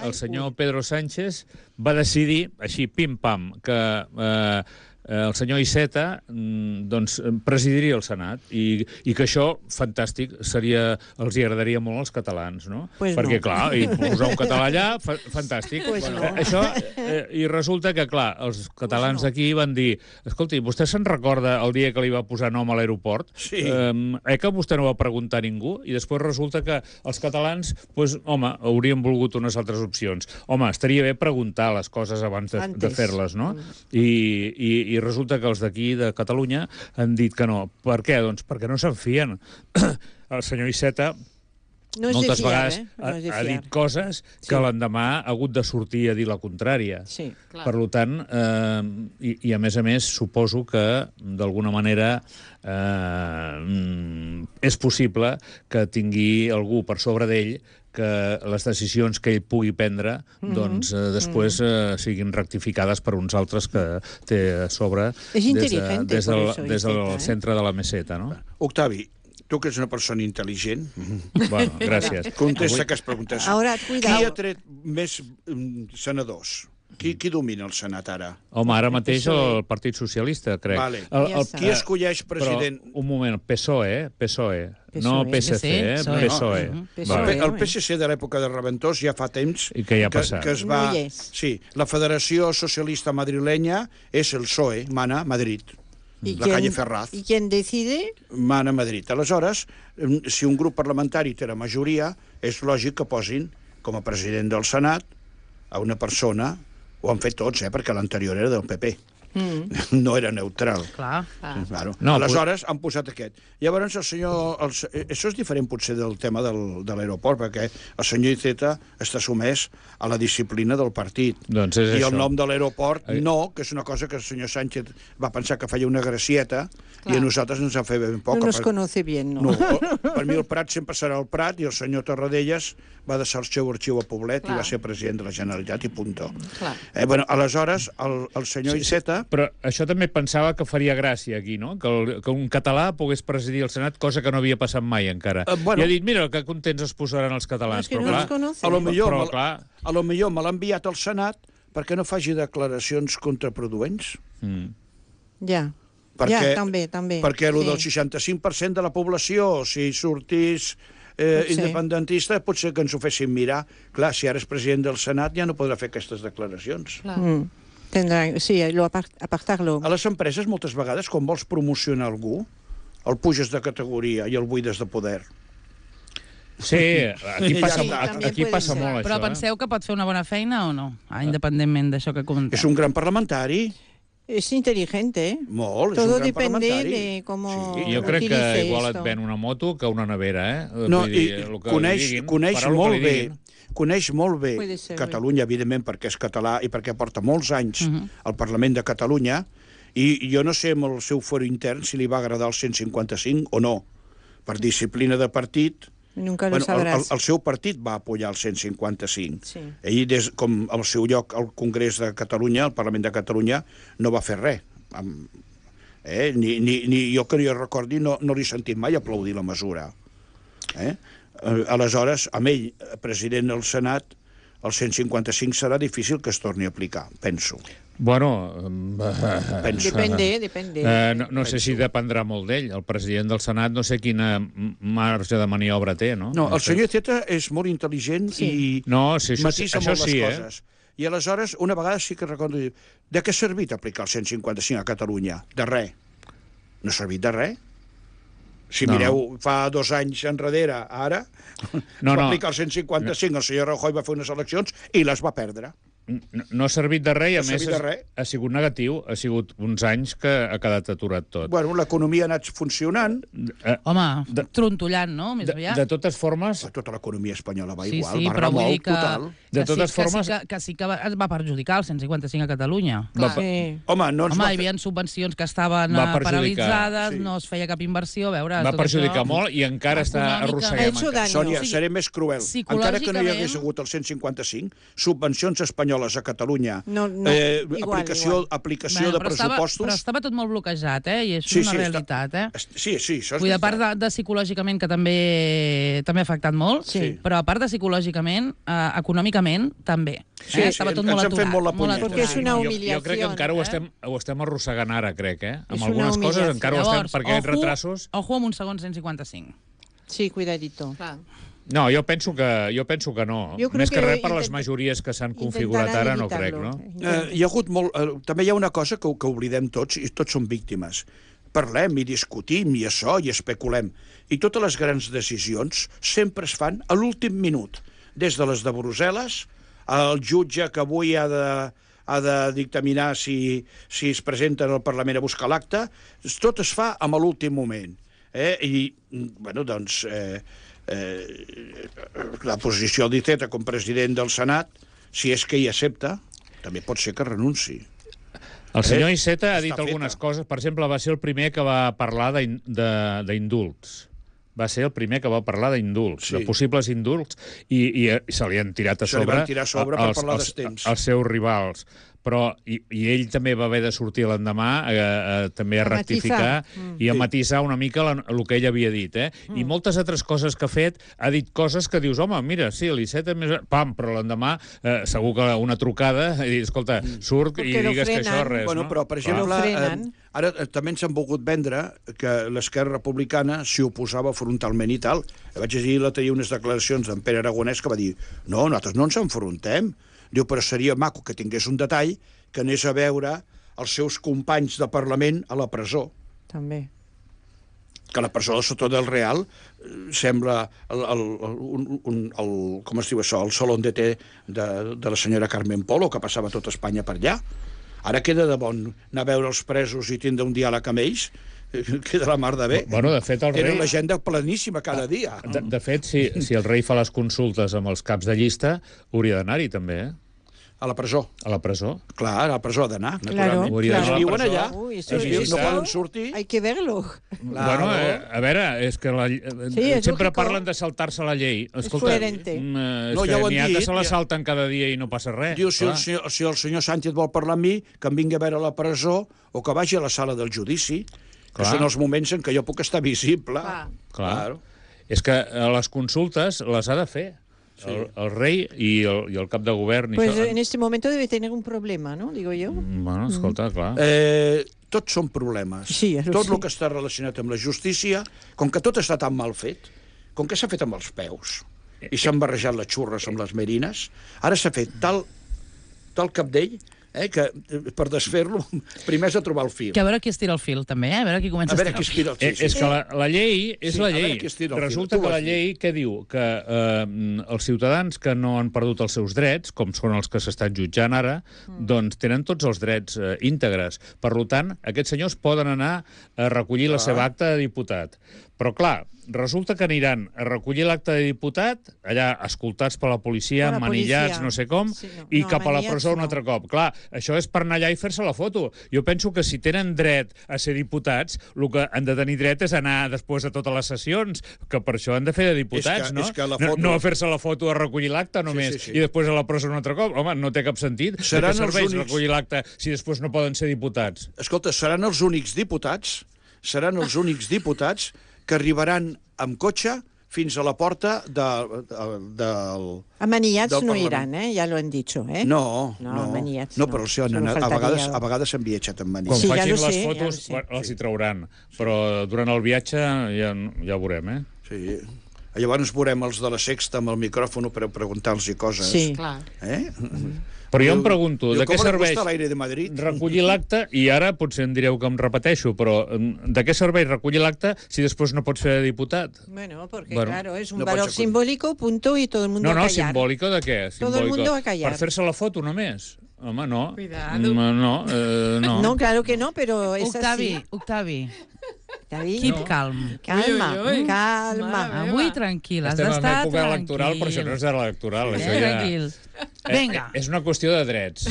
[SPEAKER 4] el senyor Pedro Sánchez va decidir, així, pim-pam, que eh, el senyor Iceta doncs, presidiria el Senat i, i que això, fantàstic, seria, els hi agradaria molt als catalans, no?
[SPEAKER 5] Pues
[SPEAKER 4] Perquè,
[SPEAKER 5] no.
[SPEAKER 4] clar, i posar un català allà, fa, fantàstic.
[SPEAKER 5] Pues
[SPEAKER 4] bueno,
[SPEAKER 5] no.
[SPEAKER 4] això, eh, I resulta que, clar, els catalans
[SPEAKER 5] Pues no.
[SPEAKER 4] aquí van dir, escolti, vostè se'n recorda el dia que li va posar nom a l'aeroport?
[SPEAKER 3] Sí.
[SPEAKER 4] Eh, eh que vostè no va preguntar a ningú? I després resulta que els catalans, pues, home, haurien volgut unes altres opcions. Home, estaria bé preguntar les coses abans de, de
[SPEAKER 5] Antes.
[SPEAKER 4] fer-les, no? I, i, I resulta que els d'aquí, de Catalunya, han dit que no. Per què? Doncs perquè no se'n fien. El senyor Iceta
[SPEAKER 5] No és de
[SPEAKER 4] moltes
[SPEAKER 5] fiar,
[SPEAKER 4] vegades
[SPEAKER 5] eh?
[SPEAKER 4] ha,
[SPEAKER 5] No és de
[SPEAKER 4] ha
[SPEAKER 5] fiar.
[SPEAKER 4] dit coses que
[SPEAKER 5] Sí.
[SPEAKER 4] l'endemà ha hagut de sortir a dir la contrària.
[SPEAKER 5] Sí.
[SPEAKER 6] Clar.
[SPEAKER 4] Per tant, eh, i, i a més a més, suposo que d'alguna manera eh, és possible que tingui algú per sobre d'ell que les decisions que ell pugui prendre doncs, eh, després eh, siguin rectificades per uns altres que té a sobre
[SPEAKER 5] És
[SPEAKER 4] des, de,
[SPEAKER 5] inteligente,
[SPEAKER 4] des,
[SPEAKER 5] por
[SPEAKER 4] del,
[SPEAKER 5] eso,
[SPEAKER 4] des del
[SPEAKER 5] Iceta, eh?
[SPEAKER 4] centre de la meseta, no?
[SPEAKER 3] Octavi, tu que ets una persona intel·ligent,
[SPEAKER 4] Bueno, gràcies.
[SPEAKER 3] contesta aquestes preguntes.
[SPEAKER 5] Ahora,
[SPEAKER 3] Qui
[SPEAKER 5] cuidado.
[SPEAKER 3] ha tret més mm, senadors? Qui, qui domina el Senat ara?
[SPEAKER 4] Home, ara mateix
[SPEAKER 5] P S O E.
[SPEAKER 4] el Partit Socialista, crec.
[SPEAKER 3] Vale.
[SPEAKER 4] El,
[SPEAKER 5] Ja
[SPEAKER 4] el,
[SPEAKER 5] està.
[SPEAKER 3] Qui escolleix president?
[SPEAKER 4] Però, un moment, P S O E, P S O E, no
[SPEAKER 5] P
[SPEAKER 4] P S C, eh?
[SPEAKER 2] P S O E.
[SPEAKER 4] P S O E.
[SPEAKER 2] Mhm.
[SPEAKER 5] P S O E.
[SPEAKER 4] Vale.
[SPEAKER 3] El P S C de l'època de Reventós ja fa temps
[SPEAKER 4] I què hi ha
[SPEAKER 3] que,
[SPEAKER 4] passat?
[SPEAKER 3] que es va...
[SPEAKER 5] No hi és.
[SPEAKER 3] Sí, la Federació Socialista Madrilenya és el P S O E, mana a Madrid.
[SPEAKER 5] ¿Y
[SPEAKER 3] La calle Ferraz.
[SPEAKER 5] ¿Y quién decide?
[SPEAKER 3] Mana a Madrid. Aleshores, em, si un grup parlamentari té la majoria, és lògic que posin com a president del Senat a una persona, ho han fet tots, eh, perquè l'anterior era del P P. Mm. No era neutral.
[SPEAKER 2] Clar.
[SPEAKER 6] Clar.
[SPEAKER 3] Claro.
[SPEAKER 4] No,
[SPEAKER 3] No, Aleshores han posat aquest. Llavors el senyor... El, eh, això és diferent potser del tema del, de l'aeroport, perquè el senyor Iceta està sumès a la disciplina del partit.
[SPEAKER 4] Doncs és
[SPEAKER 3] I
[SPEAKER 4] això.
[SPEAKER 3] el nom de l'aeroport
[SPEAKER 4] Eh.
[SPEAKER 3] no, que és una cosa que el senyor Sánchez va pensar que feia una gracieta
[SPEAKER 6] Clar.
[SPEAKER 3] i a nosaltres ens en feia ben poc.
[SPEAKER 5] No nos conoce bien, ¿no?
[SPEAKER 3] No, per mi el Prat sempre serà el Prat i el senyor Torradellas va deixar el seu arxiu a Poblet
[SPEAKER 6] Clar.
[SPEAKER 3] i va ser president de la Generalitat i punto.
[SPEAKER 6] Clar.
[SPEAKER 3] Eh, bueno, aleshores, el, el senyor Iceta...
[SPEAKER 4] Però això també pensava que faria gràcia aquí, no? Que, el, que un català pogués presidir el Senat, cosa que no havia passat mai encara.
[SPEAKER 3] Eh, bueno.
[SPEAKER 4] I ha dit, mira, que contents es posaran els catalans.
[SPEAKER 5] Es que
[SPEAKER 4] però,
[SPEAKER 5] no
[SPEAKER 4] clar,
[SPEAKER 5] los conoce.
[SPEAKER 3] A lo millor,
[SPEAKER 4] però,
[SPEAKER 3] me,
[SPEAKER 4] clar...
[SPEAKER 3] a lo millor me l'ha enviat al Senat perquè no faci declaracions contraproduents.
[SPEAKER 4] Mm.
[SPEAKER 5] Ya.
[SPEAKER 3] Perquè,
[SPEAKER 5] Ya, també, també.
[SPEAKER 3] Perquè el
[SPEAKER 5] Sí.
[SPEAKER 3] del seixanta-cinc per cent de la població, si sortís eh,
[SPEAKER 5] Potser.
[SPEAKER 3] independentista, potser que ens ho fessin mirar. Clar, si ara és president del Senat ja no podrà fer aquestes declaracions.
[SPEAKER 6] Clar.
[SPEAKER 5] Mm. Tendrá, sí, lo apart, apartarlo.
[SPEAKER 3] A les empreses, moltes vegades, quan vols promocionar algú, el puges de categoria i el buides de poder.
[SPEAKER 4] Sí, aquí
[SPEAKER 3] Ja
[SPEAKER 4] passa,
[SPEAKER 3] està.
[SPEAKER 4] aquí, aquí
[SPEAKER 5] També
[SPEAKER 4] passa
[SPEAKER 5] puede
[SPEAKER 4] molt,
[SPEAKER 5] ser.
[SPEAKER 4] això.
[SPEAKER 2] Però penseu que pot fer una bona feina o no? Ah, independentment d'això que comenteu.
[SPEAKER 3] És un gran parlamentari,
[SPEAKER 5] Es inteligente, ¿eh?
[SPEAKER 3] molt, és
[SPEAKER 5] Todo
[SPEAKER 3] un gran
[SPEAKER 5] depende
[SPEAKER 3] parlamentari.
[SPEAKER 5] de cómo
[SPEAKER 3] Sí.
[SPEAKER 4] Eh? Jo crec que
[SPEAKER 5] utilice
[SPEAKER 4] igual et
[SPEAKER 5] esto.
[SPEAKER 4] ven una moto que una nevera, eh?
[SPEAKER 3] No,
[SPEAKER 4] Vull
[SPEAKER 3] i
[SPEAKER 4] dir, el que
[SPEAKER 3] coneix,
[SPEAKER 4] li diguin,
[SPEAKER 3] coneix
[SPEAKER 4] farà el que
[SPEAKER 3] molt
[SPEAKER 4] li
[SPEAKER 3] bé,
[SPEAKER 4] diguin.
[SPEAKER 3] coneix molt bé
[SPEAKER 5] Puede ser,
[SPEAKER 3] Catalunya, evidentment, perquè és català i perquè porta molts anys al Parlament de Catalunya, i jo no sé amb el seu foro intern si li va agradar el cent cinquanta-cinc o no. Per disciplina de partit,
[SPEAKER 5] Nunca lo
[SPEAKER 3] bueno, el, el,
[SPEAKER 5] sabrás.
[SPEAKER 3] el seu partit va apoyar el cent cinquanta-cinc.
[SPEAKER 5] Sí.
[SPEAKER 3] Ell, des, com al seu lloc al Congrés de Catalunya, al Parlament de Catalunya, no va fer res. Amb, eh? ni, ni, ni jo que jo recordi no, no li he sentit mai aplaudir la mesura. Eh? Eh, aleshores, amb ell, president del Senat, el cent cinquanta-cinc serà difícil que es torni a aplicar, penso.
[SPEAKER 4] Bueno,
[SPEAKER 3] penso.
[SPEAKER 5] Depende, depende.
[SPEAKER 4] eh, no, no sé si dependrà molt d'ell. El president del Senat no sé quina m- marge de maniobra té, no?
[SPEAKER 3] No, el
[SPEAKER 4] sé.
[SPEAKER 3] senyor Iceta és molt intel·ligent
[SPEAKER 5] Sí.
[SPEAKER 3] i
[SPEAKER 4] No, sí, això,
[SPEAKER 3] matisa
[SPEAKER 4] això
[SPEAKER 3] molt
[SPEAKER 4] sí,
[SPEAKER 3] les
[SPEAKER 4] eh?
[SPEAKER 3] coses. I aleshores, una vegada sí que recordo dir, de què ha servit aplicar el cent cinquanta-cinc a Catalunya? De res. No ha servit de res. Si
[SPEAKER 4] No.
[SPEAKER 3] mireu, fa dos anys enrere, ara,
[SPEAKER 4] No,
[SPEAKER 3] es va
[SPEAKER 4] no.
[SPEAKER 3] aplicar el cent cinquanta-cinc, el senyor Rajoy va fer unes eleccions i les va perdre.
[SPEAKER 4] No, no ha servit de res i, a
[SPEAKER 3] No ha
[SPEAKER 4] més,
[SPEAKER 3] servit de
[SPEAKER 4] ha,
[SPEAKER 3] res.
[SPEAKER 4] ha sigut negatiu. Ha sigut uns anys que ha quedat aturat tot.
[SPEAKER 3] Bueno, l'economia ha anat funcionant,
[SPEAKER 4] Eh,
[SPEAKER 2] Home,
[SPEAKER 4] De-
[SPEAKER 2] trontollant, no? Més
[SPEAKER 4] de,
[SPEAKER 2] aviat.
[SPEAKER 4] de totes formes,
[SPEAKER 3] tota l'economia espanyola va
[SPEAKER 2] Sí,
[SPEAKER 3] igual,
[SPEAKER 2] sí,
[SPEAKER 3] va
[SPEAKER 2] però vull dir
[SPEAKER 3] remolc
[SPEAKER 2] que,
[SPEAKER 3] total.
[SPEAKER 4] De
[SPEAKER 2] que
[SPEAKER 4] totes
[SPEAKER 2] sí,
[SPEAKER 4] formes-
[SPEAKER 2] Que sí que, que, sí que va, es va perjudicar el cent cinquanta-cinc a Catalunya.
[SPEAKER 4] va,
[SPEAKER 5] Sí.
[SPEAKER 3] Home, no ens
[SPEAKER 2] Home,
[SPEAKER 3] va
[SPEAKER 2] hi
[SPEAKER 3] fer...
[SPEAKER 2] havia subvencions que estaven
[SPEAKER 4] Va
[SPEAKER 2] eh,
[SPEAKER 4] perjudicar,
[SPEAKER 2] paralitzades,
[SPEAKER 3] sí.
[SPEAKER 2] no es feia cap inversió, a veure...
[SPEAKER 4] va
[SPEAKER 2] tot
[SPEAKER 4] perjudicar
[SPEAKER 2] això...
[SPEAKER 4] molt i encara està
[SPEAKER 2] Econòmica.
[SPEAKER 4] arrossegant.
[SPEAKER 5] Ha hecho daño.
[SPEAKER 3] Sònia,
[SPEAKER 2] O sigui,
[SPEAKER 3] seré més cruel. Encara que no hi hagués
[SPEAKER 2] psicològicament-
[SPEAKER 3] hagut el cent cinquanta-cinc, subvencions espanyoles espanyoles a Catalunya,
[SPEAKER 5] No, no,
[SPEAKER 3] eh,
[SPEAKER 5] igual,
[SPEAKER 3] aplicació,
[SPEAKER 5] igual.
[SPEAKER 3] aplicació
[SPEAKER 2] Bueno,
[SPEAKER 3] de
[SPEAKER 2] però estava,
[SPEAKER 3] pressupostos...
[SPEAKER 2] però estava tot molt bloquejat, eh? I és
[SPEAKER 3] Sí,
[SPEAKER 2] una
[SPEAKER 3] sí,
[SPEAKER 2] realitat,
[SPEAKER 3] està...
[SPEAKER 2] eh?
[SPEAKER 3] Sí, sí, això és
[SPEAKER 2] Vull dir, a part
[SPEAKER 3] veritat.
[SPEAKER 2] de, de psicològicament, que també també ha afectat molt,
[SPEAKER 5] Sí.
[SPEAKER 2] però a part de psicològicament, eh, econòmicament, també.
[SPEAKER 3] Sí,
[SPEAKER 2] eh?
[SPEAKER 3] sí,
[SPEAKER 2] Estava tot
[SPEAKER 3] ens
[SPEAKER 2] molt
[SPEAKER 3] han fet
[SPEAKER 2] aturat.
[SPEAKER 3] molt la punyeta.
[SPEAKER 5] Perquè és una
[SPEAKER 4] Jo,
[SPEAKER 5] humiliació.
[SPEAKER 4] jo crec que encara ho
[SPEAKER 5] eh?
[SPEAKER 4] estem, ho estem arrossegant ara, crec, eh? Amb
[SPEAKER 5] És
[SPEAKER 4] algunes
[SPEAKER 5] una
[SPEAKER 4] coses
[SPEAKER 5] humiliació.
[SPEAKER 4] encara ho estem, perquè aquests retrasos...
[SPEAKER 2] Ojo amb un segon cent cinquanta-cinc.
[SPEAKER 5] Sí, cuidadito.
[SPEAKER 6] Clar.
[SPEAKER 4] No, jo penso que, jo penso que no.
[SPEAKER 5] Jo crec
[SPEAKER 4] Més que
[SPEAKER 5] que
[SPEAKER 4] res per les
[SPEAKER 5] intent-
[SPEAKER 4] majories que s'han configurat ara, no crec, no?
[SPEAKER 3] Eh, hi ha hagut molt... Eh, també hi ha una cosa que, que oblidem tots, i tots som víctimes. Parlem i discutim i això, i especulem. I totes les grans decisions sempre es fan a l'últim minut. Des de les de Brussel·les, el jutge que avui ha de, ha de dictaminar si, si es presenten al Parlament a buscar l'acte, tot es fa a l'últim moment. Eh? I, bueno, doncs... Eh, eh, la posició d'Iceta com president del Senat, si és que hi accepta, també pot ser que renunci.
[SPEAKER 4] El senyor
[SPEAKER 3] Eh?
[SPEAKER 4] Iceta ha
[SPEAKER 3] Està
[SPEAKER 4] dit
[SPEAKER 3] feta.
[SPEAKER 4] algunes coses. Per exemple, va ser el primer que va parlar d'in- de- d'indults. Va ser el primer que va parlar d'indults,
[SPEAKER 3] Sí.
[SPEAKER 4] de possibles indults, i, i, i se li han tirat a
[SPEAKER 3] Se li
[SPEAKER 4] sobre,
[SPEAKER 3] van tirar a sobre per
[SPEAKER 4] els,
[SPEAKER 3] parlar
[SPEAKER 4] els,
[SPEAKER 3] d'estens.
[SPEAKER 4] els seus rivals. Però, i, i ell també va haver de sortir l'endemà eh, eh, també a,
[SPEAKER 5] A
[SPEAKER 4] rectificar
[SPEAKER 5] matisar. Mm.
[SPEAKER 4] i a
[SPEAKER 3] Sí.
[SPEAKER 4] matisar una mica la, el que ell havia dit. Eh? Mm. I moltes altres coses que ha fet, ha dit coses que dius, home, mira, sí, l'Iceta és més... Pam, però l'endemà eh, segur que una trucada i dir, escolta, surt
[SPEAKER 5] Perquè
[SPEAKER 4] i
[SPEAKER 5] lo
[SPEAKER 4] digues que això
[SPEAKER 5] frenen.
[SPEAKER 4] res,
[SPEAKER 3] Bueno,
[SPEAKER 4] no?
[SPEAKER 3] però, per
[SPEAKER 4] Clar.
[SPEAKER 3] exemple,
[SPEAKER 5] Lo frenen.
[SPEAKER 3] eh, ara eh, també ens han volgut vendre que l'Esquerra Republicana s'hi oposava frontalment i tal. Vaig llegir l'altre dia unes declaracions d'en Pere Aragonès que va dir no, nosaltres no ens enfrontem. Diu, però seria maco que tingués un detall que anés a veure els seus companys de Parlament a la presó.
[SPEAKER 5] També.
[SPEAKER 3] Que la presó del Soto del Real eh, sembla el, el, el, un, un, el, com es diu això, el salón de té de, de la senyora Carmen Polo, que passava tot Espanya per allà. Ara queda de bon anar a veure els presos i tindre un diàleg amb ells, eh, queda la mar de bé.
[SPEAKER 4] Bueno, de fet, el
[SPEAKER 3] Tenen
[SPEAKER 4] rei...
[SPEAKER 3] l'agenda pleníssima cada dia.
[SPEAKER 4] De, de fet, si, si el rei fa les consultes amb els caps de llista, hauria d'anar-hi també, eh?
[SPEAKER 3] A la presó.
[SPEAKER 4] A la presó.
[SPEAKER 3] Clar, a la presó ha d'anar,
[SPEAKER 5] Claro,
[SPEAKER 3] naturalment.
[SPEAKER 4] Hauria d'anar
[SPEAKER 3] Ells
[SPEAKER 4] a la
[SPEAKER 3] viuen
[SPEAKER 4] presó.
[SPEAKER 3] allà,
[SPEAKER 5] Uy,
[SPEAKER 3] ells
[SPEAKER 5] eso-
[SPEAKER 3] viuen, no
[SPEAKER 4] eso-
[SPEAKER 3] poden sortir.
[SPEAKER 5] Hay que verlo.
[SPEAKER 3] Claro.
[SPEAKER 4] Bueno, eh, a veure, és que la, eh,
[SPEAKER 5] Sí, és
[SPEAKER 4] sempre
[SPEAKER 5] lógico.
[SPEAKER 4] parlen de saltar-se la llei. Escolta,
[SPEAKER 5] coherente.
[SPEAKER 4] mm, eh, és
[SPEAKER 3] No,
[SPEAKER 4] que
[SPEAKER 3] ja ho han
[SPEAKER 4] n'hi ha que
[SPEAKER 3] dit,
[SPEAKER 4] se la
[SPEAKER 3] ja.
[SPEAKER 4] salten cada dia i no passa res.
[SPEAKER 3] Diu, si el,
[SPEAKER 4] clar.
[SPEAKER 3] senyor, si el senyor Sánchez vol parlar amb mi, que em vingui a veure a la presó o que vagi a la sala del judici, que
[SPEAKER 4] Clar.
[SPEAKER 3] són els moments en què jo puc estar visible.
[SPEAKER 6] Clar.
[SPEAKER 4] Clar.
[SPEAKER 3] Claro.
[SPEAKER 4] És que eh, les consultes les ha de fer. Sí. El, el rei i el, i el cap de govern. I
[SPEAKER 5] Pues
[SPEAKER 4] això.
[SPEAKER 5] en este momento debe tener un problema, ¿no? Digo yo.
[SPEAKER 4] Bueno, escolta, clar.
[SPEAKER 3] Eh, tots són problemes.
[SPEAKER 5] Sí, això
[SPEAKER 3] tot
[SPEAKER 5] sí.
[SPEAKER 3] el que està relacionat amb la justícia, com que tot està tan mal fet, com que s'ha fet amb els peus, i s'han barrejat les xurres amb les merines, ara s'ha fet tal, tal capdell eh, que eh, per desfer-lo primer has de trobar el fil.
[SPEAKER 2] Que a veure qui estira el fil, també, eh? A veure qui comença
[SPEAKER 3] A veure
[SPEAKER 2] a
[SPEAKER 3] qui
[SPEAKER 2] estirar
[SPEAKER 3] estira
[SPEAKER 2] el
[SPEAKER 3] el
[SPEAKER 2] fil.
[SPEAKER 3] fil.
[SPEAKER 4] Eh, és que la, la llei és
[SPEAKER 3] Sí,
[SPEAKER 4] la
[SPEAKER 3] a veure
[SPEAKER 4] llei.
[SPEAKER 3] qui estira el fil.
[SPEAKER 4] Resulta
[SPEAKER 3] Tu
[SPEAKER 4] que
[SPEAKER 3] ho
[SPEAKER 4] la
[SPEAKER 3] has dit.
[SPEAKER 4] llei què diu? Que eh, els ciutadans que no han perdut els seus drets, com són els que s'estan jutjant ara, mm. doncs tenen tots els drets eh, íntegres. Per tant, aquests senyors poden anar a recollir la seva acta de diputat. Però, clar, resulta que aniran a recollir l'acte de diputat, allà escoltats per la policia,
[SPEAKER 5] Per la
[SPEAKER 4] manillats,
[SPEAKER 5] policia.
[SPEAKER 4] no sé com,
[SPEAKER 5] Sí, no.
[SPEAKER 4] i
[SPEAKER 5] No,
[SPEAKER 4] cap a la
[SPEAKER 5] manillats
[SPEAKER 4] presó un
[SPEAKER 5] no.
[SPEAKER 4] altre cop. Clar, això és per anar allà i fer-se la foto. Jo penso que si tenen dret a ser diputats, el que han de tenir dret és anar després de totes les sessions, que per això han de fer de diputats,
[SPEAKER 3] És que-
[SPEAKER 4] no?
[SPEAKER 3] és que la
[SPEAKER 4] No-
[SPEAKER 3] foto-
[SPEAKER 4] No a fer-se la foto a recollir l'acte només,
[SPEAKER 3] sí, sí.
[SPEAKER 4] i després a la presó un altre cop. Home, no té cap sentit.
[SPEAKER 3] Seran
[SPEAKER 4] de què
[SPEAKER 3] els
[SPEAKER 4] serveix
[SPEAKER 3] únics-
[SPEAKER 4] recollir l'acte si després no poden ser diputats?
[SPEAKER 3] Escolta, seran els únics diputats, seran els únics diputats que arribaran amb cotxe fins a la porta de, de, del...
[SPEAKER 5] Amanillats
[SPEAKER 3] del
[SPEAKER 5] no
[SPEAKER 3] Parlament.
[SPEAKER 5] irán, ¿eh? Ya lo han dicho, ¿eh?
[SPEAKER 3] No,
[SPEAKER 5] No,
[SPEAKER 3] no.
[SPEAKER 5] manillats
[SPEAKER 3] no,
[SPEAKER 5] no.
[SPEAKER 3] però sí, han
[SPEAKER 5] Solo
[SPEAKER 3] anat, a
[SPEAKER 5] faltaria-
[SPEAKER 3] vegades, a vegades s'han viatjat amb
[SPEAKER 4] Quan
[SPEAKER 3] manilles.
[SPEAKER 5] Sí, ja
[SPEAKER 4] facin
[SPEAKER 5] lo
[SPEAKER 4] les
[SPEAKER 5] sé, ja
[SPEAKER 4] fotos,
[SPEAKER 5] lo sé.
[SPEAKER 4] els hi trauran. Però durant el viatge ja, ja ho veurem, eh?
[SPEAKER 3] Sí. Llavors veurem els de la Sexta amb el micròfon per preguntar-los coses.
[SPEAKER 5] Sí.
[SPEAKER 6] Clar.
[SPEAKER 3] Eh?
[SPEAKER 4] Però jo em
[SPEAKER 3] Diu-
[SPEAKER 4] pregunto,
[SPEAKER 3] diu,
[SPEAKER 4] de què
[SPEAKER 3] ¿cómo le
[SPEAKER 4] serveix
[SPEAKER 3] gusta el aire de Madrid?
[SPEAKER 4] recollir l'acte, i ara potser em direu que em repeteixo, però mm, de què serveix recollir l'acte si després no pots fer de diputat?
[SPEAKER 5] Bueno, porque
[SPEAKER 4] Bueno,
[SPEAKER 5] claro, es un
[SPEAKER 3] no
[SPEAKER 5] valor
[SPEAKER 3] pot ser
[SPEAKER 5] simbólico, punto, y todo el mundo
[SPEAKER 4] No, no,
[SPEAKER 5] a callar.
[SPEAKER 4] simbòlico de què?
[SPEAKER 5] Todo el
[SPEAKER 4] Simbòlico.
[SPEAKER 5] mundo a callar.
[SPEAKER 4] Per fer-se la foto només? Home, no.
[SPEAKER 6] Cuidado.
[SPEAKER 4] Mm, No, eh, no.
[SPEAKER 5] No, claro que no, pero es
[SPEAKER 2] Octavi,
[SPEAKER 5] así.
[SPEAKER 2] Octavi,
[SPEAKER 5] David,
[SPEAKER 2] keep calm.
[SPEAKER 5] calma,
[SPEAKER 6] Ui, ui, ui.
[SPEAKER 5] calma.
[SPEAKER 6] Mare
[SPEAKER 2] Avui
[SPEAKER 6] meva.
[SPEAKER 2] tranquil, has
[SPEAKER 4] Estem en
[SPEAKER 2] d'estar
[SPEAKER 4] època
[SPEAKER 2] tranquil.
[SPEAKER 4] electoral, però això no és electoral.
[SPEAKER 2] Eh,
[SPEAKER 4] Això ja...
[SPEAKER 2] tranquil.
[SPEAKER 4] Eh,
[SPEAKER 2] Vinga.
[SPEAKER 4] És una qüestió de drets.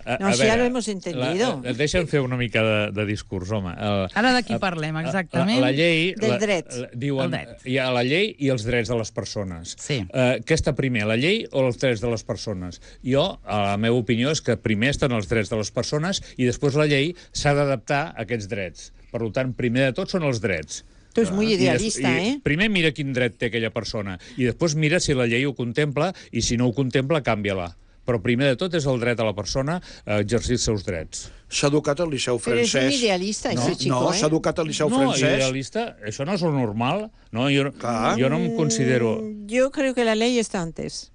[SPEAKER 4] A,
[SPEAKER 5] No,
[SPEAKER 4] a
[SPEAKER 5] si
[SPEAKER 4] veure,
[SPEAKER 5] ja lo hemos entendido.
[SPEAKER 4] La, deixa'm fer una mica de, de discurs, home. El,
[SPEAKER 2] Ara de qui parlem, exactament?
[SPEAKER 4] La, la llei...
[SPEAKER 5] Del
[SPEAKER 4] la,
[SPEAKER 5] dret.
[SPEAKER 4] La, diuen,
[SPEAKER 2] El dret.
[SPEAKER 4] hi ha la llei i els drets de les persones.
[SPEAKER 2] Sí.
[SPEAKER 4] Uh, què està primer, la llei o els drets de les persones? Jo, a la meva opinió, és que primer estan els drets de les persones i després la llei s'ha d'adaptar a aquests drets. Per tant, primer de tot són els drets.
[SPEAKER 5] Tu és muy idealista,
[SPEAKER 4] I des,
[SPEAKER 5] eh?
[SPEAKER 4] I primer mira quin dret té aquella persona i després mira si la llei ho contempla i si no ho contempla, canvia-la. Però primer de tot és el dret a la persona a exercir els seus drets.
[SPEAKER 3] S'ha educat al Liceu
[SPEAKER 5] Però és
[SPEAKER 3] francès.
[SPEAKER 5] un idealista,
[SPEAKER 3] no,
[SPEAKER 5] ese chico,
[SPEAKER 3] no,
[SPEAKER 5] eh?
[SPEAKER 3] s'ha educat al Liceu
[SPEAKER 4] No,
[SPEAKER 3] francès.
[SPEAKER 4] idealista, això no és el normal. No, jo,
[SPEAKER 3] Clar.
[SPEAKER 4] jo no em considero...
[SPEAKER 5] Mm, Yo creo que la ley está antes.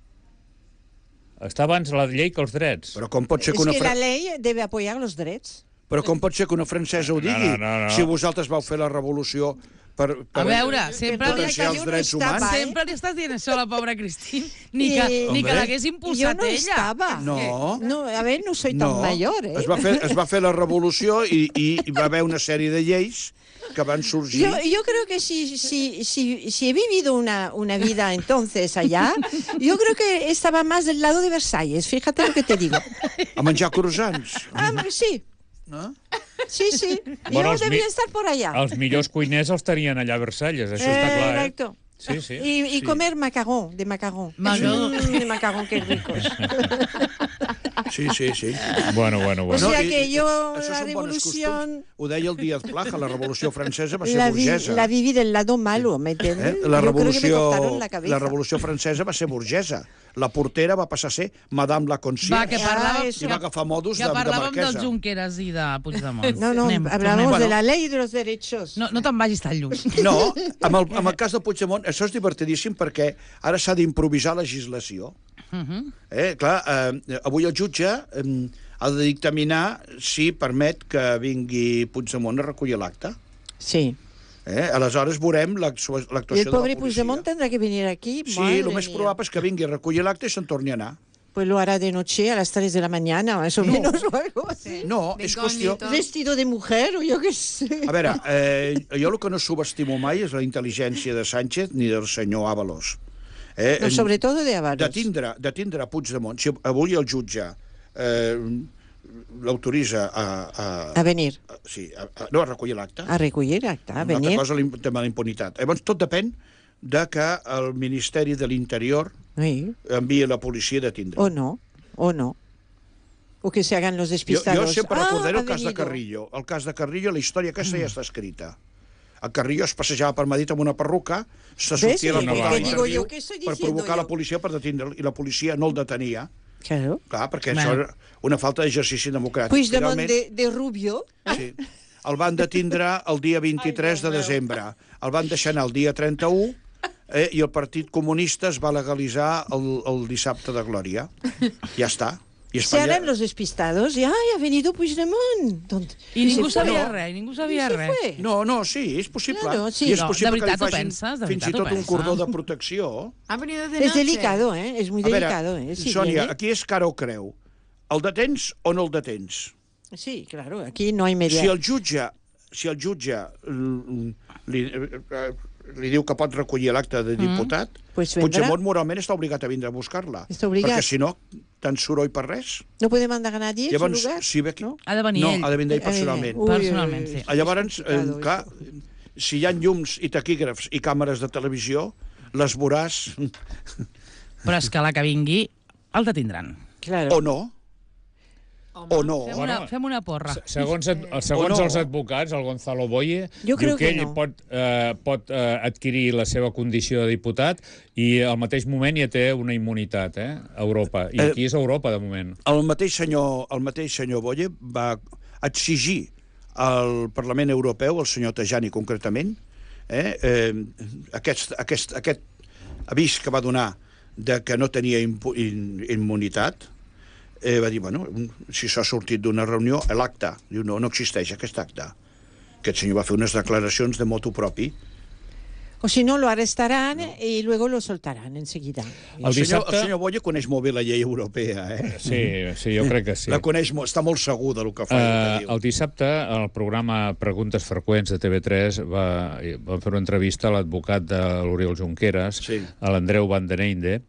[SPEAKER 4] Està abans la llei que els drets.
[SPEAKER 3] Però com pot ser
[SPEAKER 5] Es
[SPEAKER 3] que una,
[SPEAKER 5] que la
[SPEAKER 3] fra...
[SPEAKER 5] ley debe apoyar los derechos.
[SPEAKER 3] Però com pot ser que una francesa ho digui?
[SPEAKER 4] No, no, no.
[SPEAKER 3] Si vosaltres vau fer la revolució per, per
[SPEAKER 2] A veure, sempre li,
[SPEAKER 3] potenciar els
[SPEAKER 5] jo no
[SPEAKER 3] drets
[SPEAKER 5] estava,
[SPEAKER 3] humans...
[SPEAKER 5] eh?
[SPEAKER 2] sempre li estàs dient això a la pobra Cristín, ni que,
[SPEAKER 5] I-
[SPEAKER 2] ni que
[SPEAKER 3] Hombre.
[SPEAKER 2] l'hagués
[SPEAKER 5] Yo
[SPEAKER 2] impulsat
[SPEAKER 5] no
[SPEAKER 2] ella.
[SPEAKER 5] estaba.
[SPEAKER 3] No.
[SPEAKER 5] No, a ver, no soy tan
[SPEAKER 3] No,
[SPEAKER 5] mayor, ¿eh?
[SPEAKER 3] es va, fer, es va fer la revolució i, i hi va haver una sèrie de lleis que van sorgir...
[SPEAKER 5] Yo, yo creo que si, si, si, si he vivido una, una vida entonces allá, yo creo que estaba más del lado de Versalles, fíjate lo que te digo.
[SPEAKER 3] A menjar croissants.
[SPEAKER 5] Ah, sí,
[SPEAKER 3] No?
[SPEAKER 5] sí, sí.
[SPEAKER 4] Bueno,
[SPEAKER 5] Yo
[SPEAKER 4] els
[SPEAKER 5] debía
[SPEAKER 4] mi-
[SPEAKER 5] estar por allá.
[SPEAKER 4] Els millors cuiners els tenien allà a Versalles, això està clar, eh?
[SPEAKER 5] Exacto.
[SPEAKER 4] Sí, sí.
[SPEAKER 5] Y, y comer macarrón, de macarrón.
[SPEAKER 2] Macarrón.
[SPEAKER 5] Mm, de macarrón, qué ricos.
[SPEAKER 3] Sí, sí, sí.
[SPEAKER 4] Bueno, bueno,
[SPEAKER 5] O
[SPEAKER 4] bueno.
[SPEAKER 5] sea
[SPEAKER 3] i-
[SPEAKER 5] que
[SPEAKER 3] i-
[SPEAKER 5] yo
[SPEAKER 3] això
[SPEAKER 5] la
[SPEAKER 3] són bones
[SPEAKER 5] revolución
[SPEAKER 3] costums. Ho deia el Díaz Plaja, la revolució francesa va ser
[SPEAKER 5] la, vi,
[SPEAKER 3] burgesa.
[SPEAKER 5] la viví del lado malo, ¿me entiendes?
[SPEAKER 3] Eh? La,
[SPEAKER 5] Yo creo que me
[SPEAKER 3] revolució,
[SPEAKER 5] cortaron la cabeza.
[SPEAKER 3] la revolució francesa va ser burgesa. La portera va passar a ser Madame la Concierge.
[SPEAKER 2] Va, que parlàvem,
[SPEAKER 5] Ah,
[SPEAKER 3] I
[SPEAKER 5] eso.
[SPEAKER 3] va agafar modus
[SPEAKER 2] que
[SPEAKER 3] de, de
[SPEAKER 2] parlàvem del
[SPEAKER 3] marquesa.
[SPEAKER 2] Junqueras i de Puigdemont.
[SPEAKER 5] No, no,
[SPEAKER 2] Anem,
[SPEAKER 5] hablamos
[SPEAKER 2] tornem.
[SPEAKER 5] de la ley y de los derechos.
[SPEAKER 2] No, no te'n vagis tan lluny.
[SPEAKER 3] No, amb el, amb el cas de Puigdemont, això és divertidíssim perquè ara s'ha d'improvisar legislació.
[SPEAKER 2] Uh -huh.
[SPEAKER 3] Eh, clar, eh, avui el jutge eh, ha de dictaminar si permet que vingui Puigdemont a recollir l'acte.
[SPEAKER 5] Sí.
[SPEAKER 3] Eh? Aleshores veurem l'actua-
[SPEAKER 5] Y
[SPEAKER 3] l'actuació
[SPEAKER 5] el
[SPEAKER 3] de
[SPEAKER 5] pobre
[SPEAKER 3] la policia.
[SPEAKER 5] Puigdemont tendrá que venir aquí.
[SPEAKER 3] Sí,
[SPEAKER 5] madre
[SPEAKER 3] el més
[SPEAKER 5] mía.
[SPEAKER 3] probable és que vingui a recollir l'acte i se'n torni a anar.
[SPEAKER 5] Pues lo hará de noche a las tres de la mañana, más o menos, o algo así.
[SPEAKER 3] No,
[SPEAKER 6] De
[SPEAKER 3] és qüestió...
[SPEAKER 6] incògnito.
[SPEAKER 5] Vestido de mujer, o yo qué sé.
[SPEAKER 3] A veure, eh, jo el que no subestimo mai és la intel·ligència de Sánchez ni del senyor Ábalos. Eh,
[SPEAKER 5] No, sobre todo de Avalos.
[SPEAKER 3] de tindre, de tindre Puigdemont, si avui el jutge eh, l'autoritza a, a,
[SPEAKER 5] A venir,
[SPEAKER 3] a, sí, a, a, no a recollir l'acte,
[SPEAKER 5] a recollir acta, a
[SPEAKER 3] una altra
[SPEAKER 5] venir.
[SPEAKER 3] cosa el tema de la impunitat. Llavors tot depèn de que el Ministeri de l'Interior
[SPEAKER 5] Sí.
[SPEAKER 3] enviï la policia de tindre.
[SPEAKER 5] O no, o no. O que se hagan los
[SPEAKER 3] Jo,
[SPEAKER 5] despistados.
[SPEAKER 3] jo sempre
[SPEAKER 5] Ah,
[SPEAKER 3] recordaré
[SPEAKER 5] ha
[SPEAKER 3] el cas de
[SPEAKER 5] venido.
[SPEAKER 3] Carrillo. El cas de Carrillo, la història aquesta ja està escrita. El Carrillo es passejava per Madrid amb una perruca, se
[SPEAKER 5] ¿Ves?
[SPEAKER 3] sortia la
[SPEAKER 5] ¿Qué-
[SPEAKER 3] portada
[SPEAKER 4] qué
[SPEAKER 3] d'interviu
[SPEAKER 5] digo yo? ¿Qué estoy
[SPEAKER 3] per
[SPEAKER 5] diciendo
[SPEAKER 3] provocar
[SPEAKER 5] yo?
[SPEAKER 3] la policia per detindre'l, i la policia no el detenia.
[SPEAKER 5] Claro.
[SPEAKER 3] Clar, perquè
[SPEAKER 2] Bueno.
[SPEAKER 3] això era una falta d'exercici democràtic.
[SPEAKER 5] Puigdemont
[SPEAKER 3] Finalment,
[SPEAKER 5] de, de Rubio.
[SPEAKER 3] sí, el van detindre el dia vint-i-tres de desembre. El van deixar anar el dia trenta-u eh, i el Partit Comunista es va legalitzar el, el dissabte de Glòria. Ja està. I
[SPEAKER 5] Se harán los despistados y ¡ay, ha venido Puigdemont! ¿Dónde?
[SPEAKER 2] I ningú
[SPEAKER 5] se fue.
[SPEAKER 2] sabia res, ningú sabia
[SPEAKER 5] I se
[SPEAKER 2] res.
[SPEAKER 5] fue.
[SPEAKER 3] No, no, sí, és possible.
[SPEAKER 5] Claro, sí.
[SPEAKER 3] I és
[SPEAKER 2] No,
[SPEAKER 3] possible
[SPEAKER 2] de veritat
[SPEAKER 3] que li
[SPEAKER 2] ho
[SPEAKER 3] facin
[SPEAKER 2] penses? De
[SPEAKER 3] fins i
[SPEAKER 2] veritat ho
[SPEAKER 3] tot un
[SPEAKER 2] penses?
[SPEAKER 3] cordó de protecció.
[SPEAKER 6] Ha venido de
[SPEAKER 5] Es
[SPEAKER 6] noche.
[SPEAKER 5] delicado, ¿eh? Es muy
[SPEAKER 3] A veure,
[SPEAKER 5] delicado, ¿eh? Si
[SPEAKER 3] Sònia,
[SPEAKER 5] viene-
[SPEAKER 3] aquí és cara o creu. El detens o no el detens?
[SPEAKER 5] Sí, claro, aquí no hay media.
[SPEAKER 3] Si el jutge, si el jutge mm, li, eh, li diu que pot recollir l'acte de diputat,
[SPEAKER 5] Pues vendrà.
[SPEAKER 3] Puigdemont moralment està obligat a vindre a buscar-la.
[SPEAKER 5] Està obligat.
[SPEAKER 3] Perquè si no, tant soroll per res.
[SPEAKER 5] No puede mandar a nadie en
[SPEAKER 3] Llavors,
[SPEAKER 5] su lugar.
[SPEAKER 3] si ve aquí...
[SPEAKER 5] ¿no?
[SPEAKER 2] Ha de venir
[SPEAKER 3] no,
[SPEAKER 2] ell.
[SPEAKER 3] ha de vindre ell
[SPEAKER 5] Ha de venir.
[SPEAKER 3] personalment.
[SPEAKER 5] Ui,
[SPEAKER 2] Personalment,
[SPEAKER 5] ui,
[SPEAKER 2] sí.
[SPEAKER 5] ui.
[SPEAKER 3] Ah, Llavors, eh,
[SPEAKER 5] complicado,
[SPEAKER 3] clar, si hi ha llums i taquígrafs i càmeres de televisió, les veuràs
[SPEAKER 2] Però és que la que vingui el detindran.
[SPEAKER 5] Claro.
[SPEAKER 3] o no, o no.
[SPEAKER 2] Fem,
[SPEAKER 4] Bueno,
[SPEAKER 2] una, fem una porra.
[SPEAKER 4] Se- Segons, ad- segons
[SPEAKER 3] O no.
[SPEAKER 4] els advocats, el Gonzalo Boye,
[SPEAKER 5] Jo
[SPEAKER 4] diu
[SPEAKER 5] crec
[SPEAKER 4] que
[SPEAKER 5] que
[SPEAKER 4] ell
[SPEAKER 5] no.
[SPEAKER 4] pot, eh, pot eh, adquirir la seva condició de diputat i al mateix moment ja té una immunitat, eh, a Europa. I
[SPEAKER 3] Eh,
[SPEAKER 4] aquí és Europa, de moment.
[SPEAKER 3] El mateix senyor, el mateix senyor Boye va exigir al Parlament Europeu, el senyor Tajani concretament, eh, eh, aquest, aquest, aquest avís que va donar de que no tenia impu, in, immunitat, eh, va dir, bueno, si s'ha sortit d'una reunió, l'acte, diu, no, no existeix aquest acte. Aquest senyor va fer unes declaracions de motu propi.
[SPEAKER 5] O si no, lo arrestarán y luego lo soltarán enseguida.
[SPEAKER 3] El,
[SPEAKER 4] El
[SPEAKER 3] senyor,
[SPEAKER 4] dissabte...
[SPEAKER 3] el senyor Boya coneix molt bé la llei europea, eh?
[SPEAKER 4] Sí, sí, jo crec que sí.
[SPEAKER 3] La coneix molt, està molt segur del que fa i
[SPEAKER 4] Uh,
[SPEAKER 3] el que diu.
[SPEAKER 4] el dissabte, el programa Preguntes Freqüents de T V tres va, va fer una entrevista a l'advocat de l'Oriol Junqueras,
[SPEAKER 3] Sí.
[SPEAKER 4] a l'Andreu Van den Einde,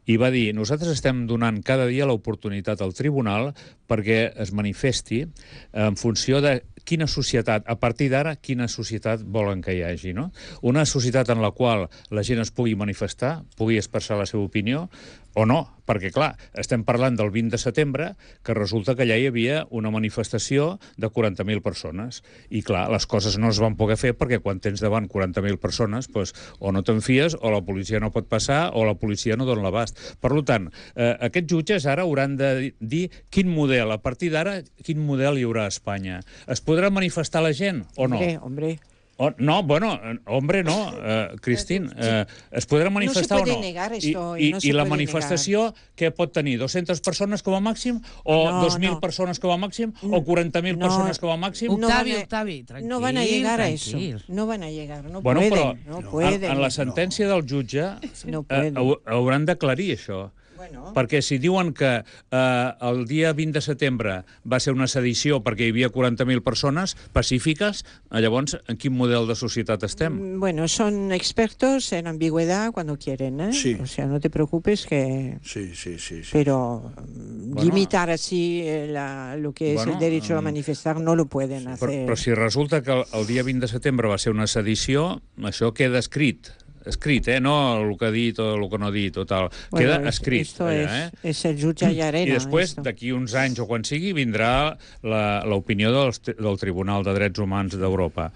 [SPEAKER 4] i va dir: nosaltres estem donant cada dia l'oportunitat al tribunal perquè es manifesti en funció de quina societat, a partir d'ara, quina societat volen que hi hagi, no? Una societat en la qual la gent es pugui manifestar, pugui expressar la seva opinió, o no, perquè, clar, estem parlant del vint de setembre, que resulta que allà hi havia una manifestació de quaranta mil persones. I, clar, les coses no es van poder fer perquè quan tens davant quaranta mil persones, doncs, o no te'n fies, o la policia no pot passar, o la policia no dona l'abast. Per tant, eh, aquests jutges ara hauran de dir quin model, a partir d'ara, quin model hi haurà a Espanya. Es podrà manifestar la gent o no?
[SPEAKER 5] Hombre, hombre.
[SPEAKER 4] Oh, no, bueno, hombre, no, uh, Cristín, uh, es podrà manifestar
[SPEAKER 5] no se puede
[SPEAKER 4] o no?
[SPEAKER 5] negar esto,
[SPEAKER 4] I,
[SPEAKER 5] no
[SPEAKER 4] i,
[SPEAKER 5] se
[SPEAKER 4] I la
[SPEAKER 5] puede
[SPEAKER 4] manifestació, què pot tenir? dues-centes persones com a màxim? O
[SPEAKER 5] No,
[SPEAKER 4] dos mil
[SPEAKER 5] no.
[SPEAKER 4] persones com a màxim? O quaranta mil
[SPEAKER 5] No.
[SPEAKER 4] persones com a màxim?
[SPEAKER 5] No
[SPEAKER 2] Octavi,
[SPEAKER 5] van a-
[SPEAKER 2] Octavi, tranquil,
[SPEAKER 5] No van a llegar a
[SPEAKER 2] tranquil.
[SPEAKER 5] eso. No van a llegar. No
[SPEAKER 4] Bueno,
[SPEAKER 5] pueden.
[SPEAKER 4] però
[SPEAKER 5] no
[SPEAKER 4] en,
[SPEAKER 5] pueden.
[SPEAKER 4] en la sentència del jutge
[SPEAKER 5] No
[SPEAKER 4] eh,
[SPEAKER 5] pueden.
[SPEAKER 4] hau- hauran d'aclarir això.
[SPEAKER 5] Bueno.
[SPEAKER 4] Perquè si diuen que eh, el dia vint de setembre va ser una sedició perquè hi havia quaranta mil persones pacífiques, eh, llavors en quin model de societat estem?
[SPEAKER 5] Bueno, son expertos en ambigüedad cuando quieren, ¿eh?
[SPEAKER 3] Sí.
[SPEAKER 5] O sea, no te preocupes que...
[SPEAKER 3] Sí, sí, sí. sí.
[SPEAKER 5] Pero mm, limitar así eh, la- lo que es
[SPEAKER 4] Bueno,
[SPEAKER 5] el derecho a
[SPEAKER 4] mm,
[SPEAKER 5] manifestar no lo pueden
[SPEAKER 4] Però,
[SPEAKER 5] hacer.
[SPEAKER 4] però si resulta que el, el dia vint de setembre va ser una sedició, això queda escrit. Escrit, eh? No el que ha dit o el que no ha dit o tal.
[SPEAKER 5] Bueno,
[SPEAKER 4] Queda
[SPEAKER 5] es-
[SPEAKER 4] escrit.
[SPEAKER 5] Esto
[SPEAKER 4] allà,
[SPEAKER 5] es,
[SPEAKER 4] eh?
[SPEAKER 5] es el jutge y arena.
[SPEAKER 4] I després,
[SPEAKER 5] esto.
[SPEAKER 4] d'aquí uns anys o quan sigui, vindrà la- l'opinió del, del Tribunal de Drets Humans d'Europa.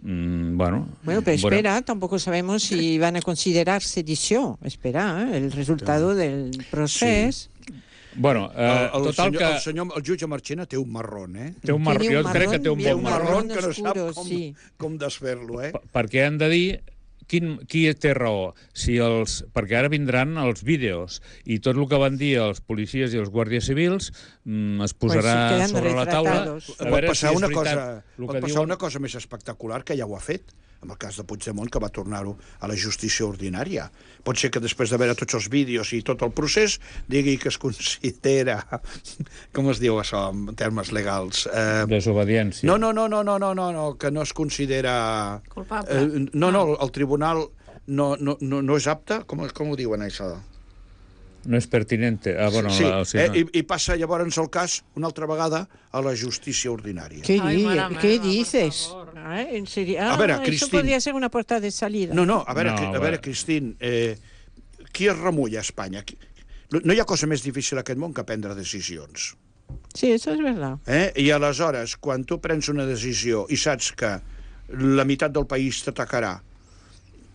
[SPEAKER 4] Mm, bueno,
[SPEAKER 5] Bueno, pero
[SPEAKER 4] veurem.
[SPEAKER 5] espera, tampoco sabemos si van a considerar sedición. Espera, ¿eh? El resultado del proceso.
[SPEAKER 4] Bueno, eh,
[SPEAKER 3] el, el,
[SPEAKER 4] total
[SPEAKER 3] senyor,
[SPEAKER 4] que
[SPEAKER 3] el, senyor, el jutge Marchena té un marrón, eh?
[SPEAKER 4] té un marró,
[SPEAKER 5] Tiene
[SPEAKER 4] jo
[SPEAKER 5] un
[SPEAKER 4] crec que té un
[SPEAKER 5] marrón
[SPEAKER 4] bon
[SPEAKER 5] bien
[SPEAKER 4] marró,
[SPEAKER 5] marrón.
[SPEAKER 3] que no sap
[SPEAKER 5] oscuro,
[SPEAKER 3] com,
[SPEAKER 5] sí.
[SPEAKER 3] com desfer-lo, eh?
[SPEAKER 4] p- perquè han de dir quin, qui té raó. Si els, perquè ara vindran els vídeos i tot el que van dir els policies i els guàrdies civils mm, es posarà
[SPEAKER 5] Pues sí, quedan
[SPEAKER 4] sobre la taula.
[SPEAKER 5] retratados.
[SPEAKER 4] A
[SPEAKER 3] Pot
[SPEAKER 4] veure
[SPEAKER 3] passar,
[SPEAKER 4] si és
[SPEAKER 3] una
[SPEAKER 4] veritat
[SPEAKER 3] cosa,
[SPEAKER 4] el
[SPEAKER 3] pot
[SPEAKER 4] que
[SPEAKER 3] passar
[SPEAKER 4] diuen.
[SPEAKER 3] una cosa més espectacular, que ja ho ha fet, en el cas de Puigdemont, que va tornar-ho a la justícia ordinària. Pot ser que després de veure tots els vídeos i tot el procés digui que es considera... Com es diu això en termes legals? Eh,
[SPEAKER 4] Desobediència.
[SPEAKER 3] no, no, no, no, no, no, no, no, que no es considera...
[SPEAKER 6] Culpable.
[SPEAKER 3] Eh, no, no, el tribunal no, no, no, no és apte? Com, com ho diuen, això?
[SPEAKER 4] No és pertinente. Ah, bueno,
[SPEAKER 3] sí,
[SPEAKER 4] la, o sigui,
[SPEAKER 3] eh,
[SPEAKER 4] no.
[SPEAKER 3] i, i passa llavors el cas una altra vegada a la justícia ordinària.
[SPEAKER 5] ¿Qué,
[SPEAKER 6] Ay,
[SPEAKER 5] di-
[SPEAKER 6] mare
[SPEAKER 5] ¿qué
[SPEAKER 6] meva, por
[SPEAKER 5] dices?
[SPEAKER 6] favor.
[SPEAKER 5] Ah, ¿en serio?
[SPEAKER 3] A
[SPEAKER 5] Ah,
[SPEAKER 3] ver,
[SPEAKER 5] eso
[SPEAKER 3] Cristín.
[SPEAKER 5] podría ser una puerta de salida.
[SPEAKER 3] No, no, a veure,
[SPEAKER 4] No,
[SPEAKER 3] no, a
[SPEAKER 4] a
[SPEAKER 3] veure
[SPEAKER 4] veure.
[SPEAKER 3] Cristín, eh, qui es remulla a Espanya? Qui- No hi ha cosa més difícil a aquest món que prendre decisions.
[SPEAKER 5] Sí, eso es verdad.
[SPEAKER 3] Eh? I aleshores, quan tu prens una decisió i saps que la meitat del país t'atacarà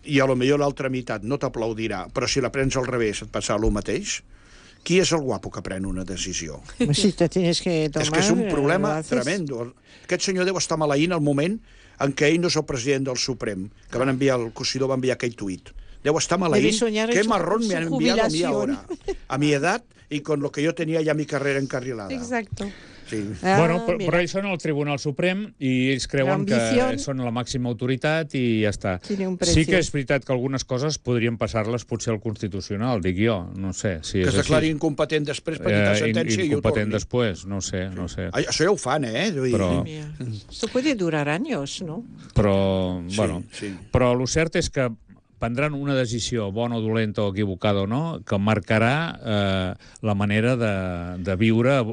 [SPEAKER 3] i a lo millor l'altra meitat no t'aplaudirà, però si la prens al revés et passarà el mateix, qui és el guapo que pren una decisió?
[SPEAKER 5] Pues si te tienes que tomar...
[SPEAKER 3] És que és un
[SPEAKER 5] eh,
[SPEAKER 3] problema
[SPEAKER 5] lo haces.
[SPEAKER 3] tremendo. Aquest senyor deu estar maleint al moment en què ell no és el president del Suprem, que van enviar, el Cosidó va enviar aquell tuit. Deu estar maleint.
[SPEAKER 5] Debe soñar
[SPEAKER 3] Qué
[SPEAKER 5] en su-
[SPEAKER 3] marrón
[SPEAKER 5] su
[SPEAKER 3] me han enviado a mí
[SPEAKER 5] jubilación.
[SPEAKER 3] ahora. A mi edad y con lo que yo tenía ya mi carrera encarrilada.
[SPEAKER 5] Exacto.
[SPEAKER 3] Sí.
[SPEAKER 5] Ah,
[SPEAKER 4] Bueno, però,
[SPEAKER 5] mira.
[SPEAKER 4] però ells són el Tribunal Suprem i ells creuen que
[SPEAKER 5] L'ambición
[SPEAKER 4] són la màxima autoritat i ja està.
[SPEAKER 5] Tiene un precio.
[SPEAKER 4] Sí que és veritat que algunes coses podrien passar-les potser al Constitucional, dic jo, no sé si
[SPEAKER 3] Que
[SPEAKER 4] és
[SPEAKER 3] es declari
[SPEAKER 4] així.
[SPEAKER 3] incompetent després per quitar
[SPEAKER 4] Eh,
[SPEAKER 3] sentència i ho
[SPEAKER 4] incompetent
[SPEAKER 3] torni.
[SPEAKER 4] després, no ho sé, no ho sé.
[SPEAKER 3] Ai, això ja ho fan, eh? Vull dir,
[SPEAKER 4] Però-
[SPEAKER 5] Mira, esto puede durar años, ¿no?
[SPEAKER 4] Però,
[SPEAKER 3] Sí,
[SPEAKER 4] bueno,
[SPEAKER 3] sí.
[SPEAKER 4] però el cert és que prendran una decisió bona o dolenta o equivocada o no, que marcarà eh, la manera de, de viure a,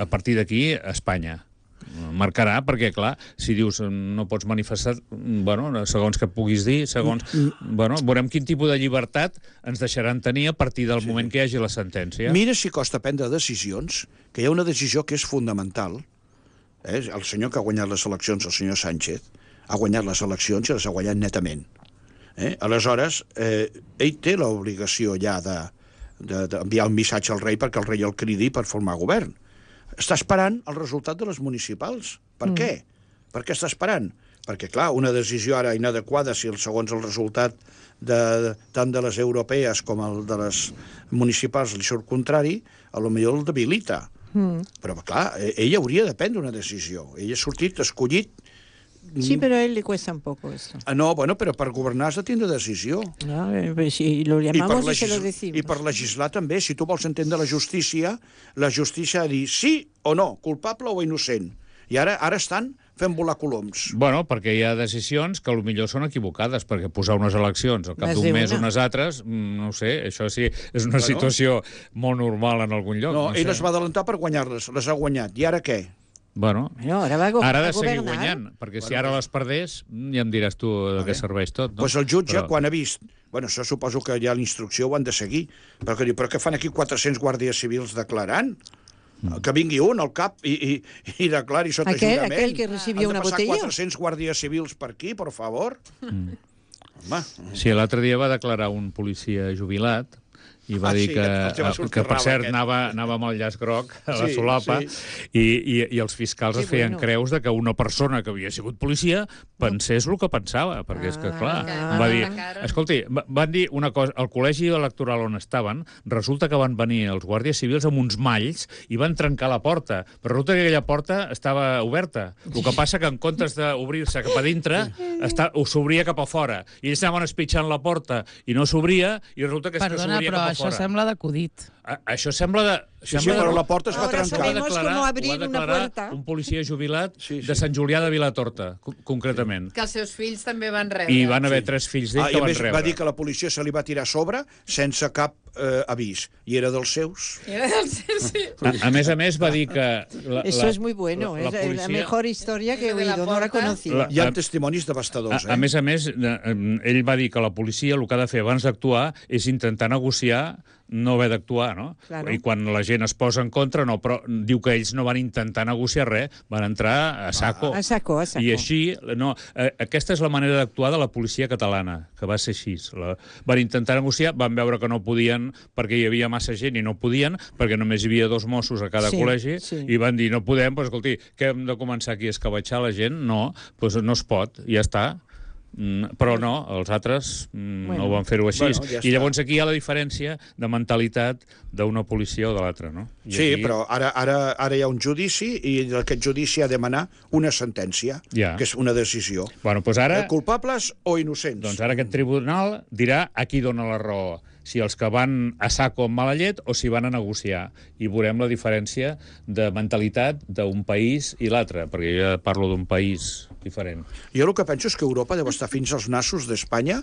[SPEAKER 4] a partir d'aquí a Espanya. Marcarà, perquè, clar, si dius no pots manifestar, bueno, segons que puguis dir, segons... Bueno, veurem quin tipus de llibertat ens deixaran tenir a partir del moment que hi hagi la sentència.
[SPEAKER 3] Mira si costa prendre decisions, que hi ha una decisió que és fundamental. Eh? El senyor que ha guanyat les eleccions, el senyor Sánchez, ha guanyat les eleccions i les ha guanyat netament. Eh? Aleshores, eh, ell té l'obligació ja d'enviar de, de, el missatge al rei perquè el rei el cridi per formar govern. Està esperant el resultat de les municipals. Per mm. què? Per què està esperant? Perquè, clar, una decisió ara inadequada, si el segons el resultat de, de, tant de les europees com el de les municipals li surt contrari, a lo millor el debilita. Mm. Però, clar, ell hauria de prendre una decisió. Ell ha sortit escollit
[SPEAKER 5] Sí, pero a él le cuesta un poco eso.
[SPEAKER 3] Ah, no, bueno, però per governar has de tindre decisió.
[SPEAKER 5] No, eh, pues si lo
[SPEAKER 3] I per,
[SPEAKER 5] llamamos y se lo
[SPEAKER 3] legis-
[SPEAKER 5] decimos.
[SPEAKER 3] I per legislar també. Si tu vols entendre la justícia, la justícia ha de dir sí o no, culpable o innocent. I ara ara estan fent volar coloms.
[SPEAKER 4] Bueno, perquè hi ha decisions que potser són equivocades, perquè posar unes eleccions al cap
[SPEAKER 5] Més
[SPEAKER 4] d'un mes
[SPEAKER 5] d'una.
[SPEAKER 4] unes altres, mm, no ho sé, això sí, és una
[SPEAKER 3] Bueno.
[SPEAKER 4] situació molt normal en algun lloc.
[SPEAKER 3] No,
[SPEAKER 4] No,
[SPEAKER 3] ell
[SPEAKER 4] sé.
[SPEAKER 3] es va adelantar per guanyar-les, les ha guanyat. I ara què?
[SPEAKER 4] Bueno,
[SPEAKER 5] No, ara va a go-
[SPEAKER 4] ara ha
[SPEAKER 5] a
[SPEAKER 4] de seguir
[SPEAKER 5] governar.
[SPEAKER 4] guanyant, perquè si ara les perdés, mm, ja em diràs tu de què serveix tot. No?
[SPEAKER 3] Pues el jutge,
[SPEAKER 4] Però-
[SPEAKER 3] quan ha vist... Bueno, això suposo que ja l'instrucció ho han de seguir. Però que diu, però què fan aquí quatre-cents guàrdies civils declarant? Que vingui un al cap i, i, i declari sota
[SPEAKER 5] Aquel-
[SPEAKER 3] jurament.
[SPEAKER 5] aquel que recibió una
[SPEAKER 3] Han de passar
[SPEAKER 5] botella.
[SPEAKER 3] quatre-cents guàrdies civils per aquí, per favor. Mm. Home,
[SPEAKER 4] Sí, l'altre dia va declarar un policia jubilat i va
[SPEAKER 3] Ah,
[SPEAKER 4] dir
[SPEAKER 3] sí,
[SPEAKER 4] que,
[SPEAKER 3] el teu va
[SPEAKER 4] que
[SPEAKER 3] sortir
[SPEAKER 4] per
[SPEAKER 3] rave,
[SPEAKER 4] cert,
[SPEAKER 3] aquest.
[SPEAKER 4] anava, anava amb el llaç groc a la
[SPEAKER 3] Sí,
[SPEAKER 4] solapa
[SPEAKER 3] sí.
[SPEAKER 4] i, i, i els fiscals
[SPEAKER 5] Que
[SPEAKER 4] es feien
[SPEAKER 5] bueno.
[SPEAKER 4] creus de que una persona que havia sigut policia pensés el que pensava, perquè és que, clar,
[SPEAKER 5] Ah.
[SPEAKER 4] va dir...
[SPEAKER 6] Ah.
[SPEAKER 4] Escolti, va- van dir una cosa, al col·legi electoral on estaven, resulta que van venir els guàrdies civils amb uns malls i van trencar la porta, però resulta que aquella porta estava oberta. El que passa que en comptes d'obrir-se cap a dintre, està, ho s'obria cap a fora. I ells anaven espitxant la porta i no s'obria, i resulta que, és que
[SPEAKER 2] Perdona,
[SPEAKER 4] s'obria
[SPEAKER 2] però
[SPEAKER 4] cap a
[SPEAKER 2] això
[SPEAKER 4] fora.
[SPEAKER 2] sembla d'acudit.
[SPEAKER 4] A, això sembla de...
[SPEAKER 3] sí, sí,
[SPEAKER 4] sembla
[SPEAKER 3] però
[SPEAKER 4] de...
[SPEAKER 3] la porta es va
[SPEAKER 5] Ahora
[SPEAKER 3] trencar.
[SPEAKER 5] sabemos
[SPEAKER 4] Ho va declarar-
[SPEAKER 5] cómo abrir
[SPEAKER 4] ho va
[SPEAKER 5] una
[SPEAKER 4] declarar
[SPEAKER 5] puerta.
[SPEAKER 4] un policia jubilat
[SPEAKER 3] Sí, sí.
[SPEAKER 4] de Sant Julià de Vilatorta, co- concretament.
[SPEAKER 6] Que els seus fills també van rebre.
[SPEAKER 4] I van haver tres fills d'ell
[SPEAKER 3] Ah, I
[SPEAKER 4] que
[SPEAKER 3] a
[SPEAKER 4] van
[SPEAKER 3] més
[SPEAKER 4] rebre.
[SPEAKER 3] va dir que la policia se li va tirar a sobre sense cap eh, avís. I era dels seus.
[SPEAKER 6] Era del sí, sí.
[SPEAKER 4] A, a més a més va dir que... La,
[SPEAKER 5] Eso
[SPEAKER 4] la,
[SPEAKER 5] es muy bueno,
[SPEAKER 4] la, la
[SPEAKER 5] es la
[SPEAKER 4] policia...
[SPEAKER 5] mejor historia que he
[SPEAKER 6] Lo de la
[SPEAKER 5] oído, no la
[SPEAKER 6] porta.
[SPEAKER 5] conocía.
[SPEAKER 4] La-
[SPEAKER 3] Hi ha
[SPEAKER 4] a-
[SPEAKER 3] testimonis devastadors,
[SPEAKER 4] A, a
[SPEAKER 3] eh?
[SPEAKER 4] més a més, eh, eh, ell va dir que la policia el que ha de fer abans d'actuar és intentar negociar, no haver d'actuar, no?
[SPEAKER 5] Claro.
[SPEAKER 4] I quan la gent es posa en contra, no, però diu que ells no van intentar negociar res, van entrar a saco.
[SPEAKER 5] A saco, a saco.
[SPEAKER 4] I així, no, eh, aquesta és la manera d'actuar de la policia catalana, que va ser així. La, van intentar negociar, van veure que no podien perquè hi havia massa gent i no podien, perquè només hi havia dos Mossos a cada
[SPEAKER 5] Sí,
[SPEAKER 4] col·legi,
[SPEAKER 5] sí.
[SPEAKER 4] i van dir, no podem, doncs, escolti, que hem de començar aquí a escabatxar la gent? No, doncs no es pot, i ja està. Mm, però no, els altres mm,
[SPEAKER 5] Bueno.
[SPEAKER 4] no van fer-ho així.
[SPEAKER 3] Bueno, ja
[SPEAKER 4] I
[SPEAKER 3] està.
[SPEAKER 4] llavors aquí hi ha la diferència de mentalitat d'una policia o de l'altra, no? I
[SPEAKER 3] Sí,
[SPEAKER 4] aquí...
[SPEAKER 3] però ara, ara, ara hi ha un judici i d'aquest judici ha de demanar una sentència,
[SPEAKER 4] Ja.
[SPEAKER 3] que és una decisió.
[SPEAKER 4] Bueno, doncs ara...
[SPEAKER 3] Eh, culpables o innocents?
[SPEAKER 4] Doncs ara aquest tribunal dirà a qui dona la raó, si els que van a saco amb mala llet o si van a negociar. I veurem la diferència de mentalitat d'un país i l'altre, perquè jo ja parlo d'un país diferent.
[SPEAKER 3] Jo el que penso és que Europa deu estar fins als nassos d'Espanya,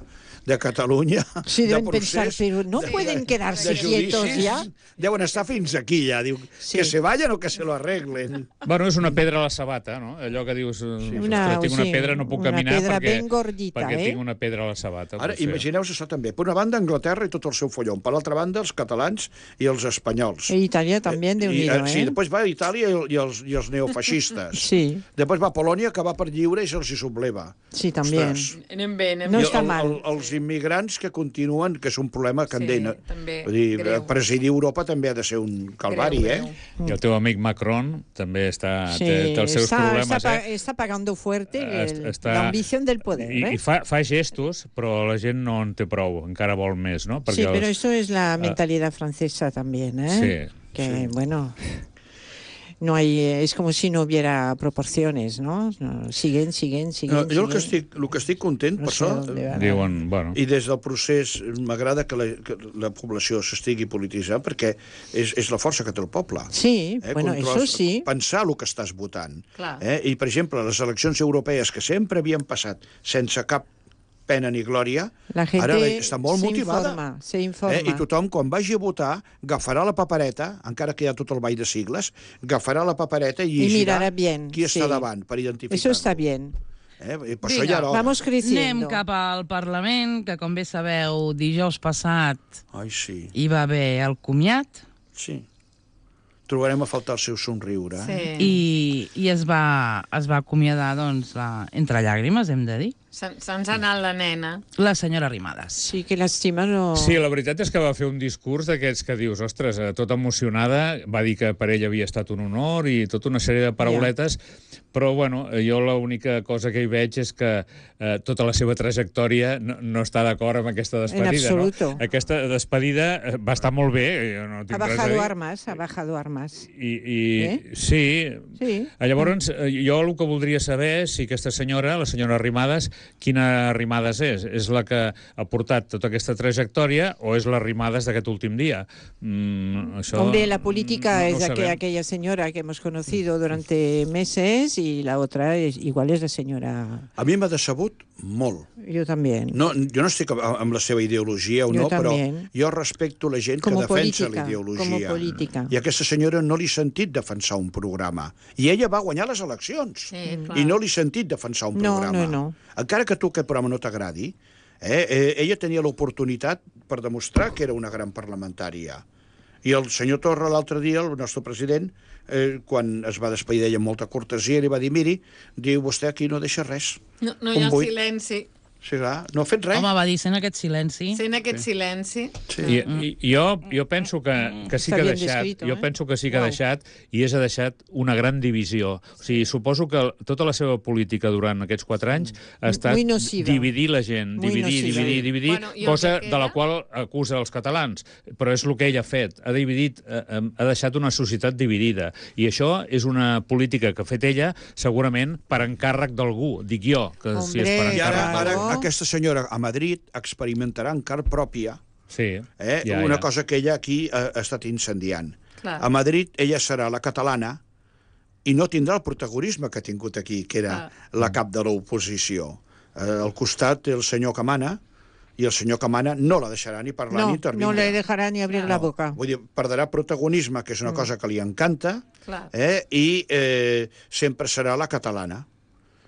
[SPEAKER 3] de Catalunya,
[SPEAKER 5] Sí,
[SPEAKER 3] de
[SPEAKER 5] deben
[SPEAKER 3] procés,
[SPEAKER 5] pensar, pero no
[SPEAKER 3] de-
[SPEAKER 5] pueden quedarse
[SPEAKER 3] de judicis.
[SPEAKER 5] quietos ya.
[SPEAKER 3] Deuen estar fins aquí ja. Diu,
[SPEAKER 5] Sí.
[SPEAKER 3] que se vayan o que se lo arreglen.
[SPEAKER 4] Bueno, és una pedra a la sabata, no? Allò que dius, sí,
[SPEAKER 5] Una-
[SPEAKER 4] tinc una
[SPEAKER 5] sí,
[SPEAKER 4] pedra, no puc
[SPEAKER 5] una
[SPEAKER 4] caminar
[SPEAKER 5] pedra
[SPEAKER 4] perquè,
[SPEAKER 5] ben gordita,
[SPEAKER 4] perquè
[SPEAKER 5] eh?
[SPEAKER 4] tinc una pedra a la sabata.
[SPEAKER 3] Ara,
[SPEAKER 4] potser.
[SPEAKER 3] imagineu-vos això també. Per una banda, Anglaterra i tot el seu follon. Per l'altra banda, els catalans i els espanyols.
[SPEAKER 5] E Italia también de
[SPEAKER 3] I,
[SPEAKER 5] unido,
[SPEAKER 3] sí,
[SPEAKER 5] ¿eh?
[SPEAKER 3] després va a Itàlia i, i, els, i els neofeixistes.
[SPEAKER 5] Sí,
[SPEAKER 3] Després va a Polònia, que va per lliure i se'ls hi subleva.
[SPEAKER 5] sí, también.
[SPEAKER 3] Ostres.
[SPEAKER 6] Anem bé, anem
[SPEAKER 5] No
[SPEAKER 6] bé.
[SPEAKER 3] I
[SPEAKER 5] està
[SPEAKER 3] el,
[SPEAKER 5] mal.
[SPEAKER 3] el, els immigrants que continuen, que és un problema que
[SPEAKER 6] Sí,
[SPEAKER 3] en deien.
[SPEAKER 6] també,
[SPEAKER 3] Vull dir,
[SPEAKER 6] greu.
[SPEAKER 3] presidir Europa també ha de ser un calvari,
[SPEAKER 6] Greu,
[SPEAKER 3] eh?
[SPEAKER 6] greu.
[SPEAKER 4] I el teu amic Macron també està,
[SPEAKER 5] Sí,
[SPEAKER 4] té, té els seus
[SPEAKER 5] está,
[SPEAKER 4] problemes,
[SPEAKER 5] está, pa-
[SPEAKER 4] eh?
[SPEAKER 5] está pagando fuerte
[SPEAKER 4] Est-
[SPEAKER 5] el-
[SPEAKER 4] està-
[SPEAKER 5] la ambición del poder,
[SPEAKER 4] I,
[SPEAKER 5] ¿eh?
[SPEAKER 4] i fa, fa gestos, però la gent no en té prou, encara vol més, no?
[SPEAKER 5] Sí, pero
[SPEAKER 4] els-
[SPEAKER 5] eso es la mentalidad francesa también, ¿eh?
[SPEAKER 4] Sí,
[SPEAKER 5] Que, bueno, no hay, es como si no hubiera proporciones, ¿no? No, siguen, siguen, siguen.
[SPEAKER 3] No, jo el que,
[SPEAKER 5] siguen.
[SPEAKER 3] estic, el que estic content,
[SPEAKER 5] No
[SPEAKER 3] per
[SPEAKER 5] sé
[SPEAKER 3] això,
[SPEAKER 5] dónde van.
[SPEAKER 4] diuen, bueno...
[SPEAKER 3] i des del procés m'agrada que, la, que la població s'estigui polititzant, perquè és, és la força que té el poble.
[SPEAKER 5] Sí,
[SPEAKER 3] Eh,
[SPEAKER 5] bueno,
[SPEAKER 3] controlar-
[SPEAKER 5] eso sí.
[SPEAKER 3] Pensar el que estàs votant.
[SPEAKER 6] Clar.
[SPEAKER 3] Eh? I, per exemple, les eleccions europees, que sempre havien passat sense cap pena ni glòria,
[SPEAKER 5] La gente
[SPEAKER 3] ara està molt
[SPEAKER 5] se
[SPEAKER 3] motivada.
[SPEAKER 5] informa, se informa.
[SPEAKER 3] Eh? I tothom, quan vagi a votar, agafarà la papereta, encara que hi ha tot el ball de sigles, agafarà la papereta i
[SPEAKER 5] Y
[SPEAKER 3] llegirà
[SPEAKER 5] mirará bien.
[SPEAKER 3] qui
[SPEAKER 5] sí.
[SPEAKER 3] està davant, per identificar-lo.
[SPEAKER 5] Eso está bien.
[SPEAKER 3] Eh? I per això
[SPEAKER 6] Vinga,
[SPEAKER 3] ja era hora.
[SPEAKER 5] Vamos creciendo.
[SPEAKER 2] Anem cap al Parlament, que com bé sabeu, dijous passat
[SPEAKER 3] Ai, sí,
[SPEAKER 2] hi va haver el comiat
[SPEAKER 3] sí. Trobarem a faltar el seu somriure. Eh?
[SPEAKER 6] Sí.
[SPEAKER 2] i, i es, va, es va acomiadar doncs, la, entre llàgrimes, hem de dir.
[SPEAKER 6] Se- Se'ns ha anat la nena.
[SPEAKER 2] La senyora Arrimadas.
[SPEAKER 5] Sí, que llàstima, no...
[SPEAKER 4] Sí, la veritat és que va fer un discurs d'aquests que dius, ostres, eh, tota emocionada, va dir que per ell havia estat un honor i tota una sèrie de parauletes, però, bueno, jo l'única cosa que hi veig és que eh, tota la seva trajectòria no, no està d'acord amb aquesta despedida, no?
[SPEAKER 5] absoluto.
[SPEAKER 4] Aquesta despedida eh, va estar molt bé, jo no tinc
[SPEAKER 5] Ha
[SPEAKER 4] res a
[SPEAKER 5] bajado
[SPEAKER 4] dir.
[SPEAKER 5] armas, ha bajado armas.
[SPEAKER 4] I, i
[SPEAKER 5] Eh?
[SPEAKER 4] sí.
[SPEAKER 5] Sí.
[SPEAKER 4] Llavors, eh, jo el que voldria saber és si aquesta senyora, la senyora Arrimadas, quina Arrimadas és? És la que ha portat tota aquesta trajectòria o és la Arrimadas d'aquest últim dia? Mm, això,
[SPEAKER 5] Hombre, la política
[SPEAKER 4] no, no
[SPEAKER 5] es
[SPEAKER 4] ho
[SPEAKER 5] aqu-
[SPEAKER 4] sabem.
[SPEAKER 5] aquella señora que hemos conocido durante meses y la otra es, igual es la señora...
[SPEAKER 3] A mi m'ha decebut molt.
[SPEAKER 5] Yo también.
[SPEAKER 3] No, jo no estic amb amb la seva ideologia o
[SPEAKER 5] Jo
[SPEAKER 3] no, però
[SPEAKER 5] també.
[SPEAKER 3] jo respecto la gent
[SPEAKER 5] Com
[SPEAKER 3] que
[SPEAKER 5] a
[SPEAKER 3] defensa
[SPEAKER 5] política,
[SPEAKER 3] la ideologia.
[SPEAKER 5] com a política.
[SPEAKER 3] I a aquesta senyora no li he sentit defensar un programa. I ella va guanyar les eleccions.
[SPEAKER 6] Sí, clar.
[SPEAKER 3] I no li he sentit defensar un
[SPEAKER 5] No,
[SPEAKER 3] programa.
[SPEAKER 5] no, no.
[SPEAKER 3] Encara que tu aquest programa no t'agradi, eh, eh, ella tenia l'oportunitat per demostrar que era una gran parlamentària. I el senyor Torra, l'altre dia, el nostre president, eh, quan es va despedir d'ella amb molta cortesia, li va dir, miri, diu, vostè aquí no deixa res.
[SPEAKER 6] No, no hi
[SPEAKER 3] Un
[SPEAKER 6] ha
[SPEAKER 3] buit.
[SPEAKER 6] silenci.
[SPEAKER 3] Sí, clar, no ha fet res.
[SPEAKER 2] Home, va dir, sent aquest silenci...
[SPEAKER 6] Sent aquest silenci.
[SPEAKER 3] Sí.
[SPEAKER 4] I, i jo, jo penso que, que sí
[SPEAKER 5] Està
[SPEAKER 4] que ha
[SPEAKER 5] bien
[SPEAKER 4] deixat,
[SPEAKER 5] descrito,
[SPEAKER 4] jo
[SPEAKER 5] eh?
[SPEAKER 4] penso que sí que ha
[SPEAKER 5] Uau.
[SPEAKER 4] deixat, i és ha deixat una gran divisió. O sigui, suposo que tota la seva política durant aquests quatre anys ha estat
[SPEAKER 5] Muy nociva.
[SPEAKER 4] dividir la gent,
[SPEAKER 5] Muy
[SPEAKER 4] dividir,
[SPEAKER 5] nociva.
[SPEAKER 4] dividir, dividir,
[SPEAKER 6] Bueno, i el
[SPEAKER 4] cosa
[SPEAKER 6] que
[SPEAKER 4] de la
[SPEAKER 6] queda?
[SPEAKER 4] qual acusa els catalans. Però és el que ell ha fet, ha dividit, eh, eh, ha deixat una societat dividida. I això és una política que ha fet ella, segurament per encàrrec d'algú, dic jo, que si és per
[SPEAKER 5] Hombre,
[SPEAKER 3] I
[SPEAKER 4] encàrrec
[SPEAKER 3] ara, ara
[SPEAKER 5] No.
[SPEAKER 3] aquesta senyora a Madrid experimentarà en carn pròpia
[SPEAKER 4] Sí,
[SPEAKER 3] eh,
[SPEAKER 4] ja,
[SPEAKER 3] una
[SPEAKER 4] ja.
[SPEAKER 3] cosa que ella aquí ha, ha estat incendiant.
[SPEAKER 6] Clar.
[SPEAKER 3] A Madrid ella serà la catalana i no tindrà el protagonisme que ha tingut aquí, que era la cap de l'oposició. Eh, al costat té el senyor que mana, i el senyor que mana no la deixarà ni parlar
[SPEAKER 5] No,
[SPEAKER 3] ni intervindre.
[SPEAKER 5] no le dejará ni abrir la boca.
[SPEAKER 3] Vull dir, perdrà protagonisme, que és una cosa que li encanta,
[SPEAKER 6] Clar.
[SPEAKER 3] eh, i eh, sempre serà la catalana.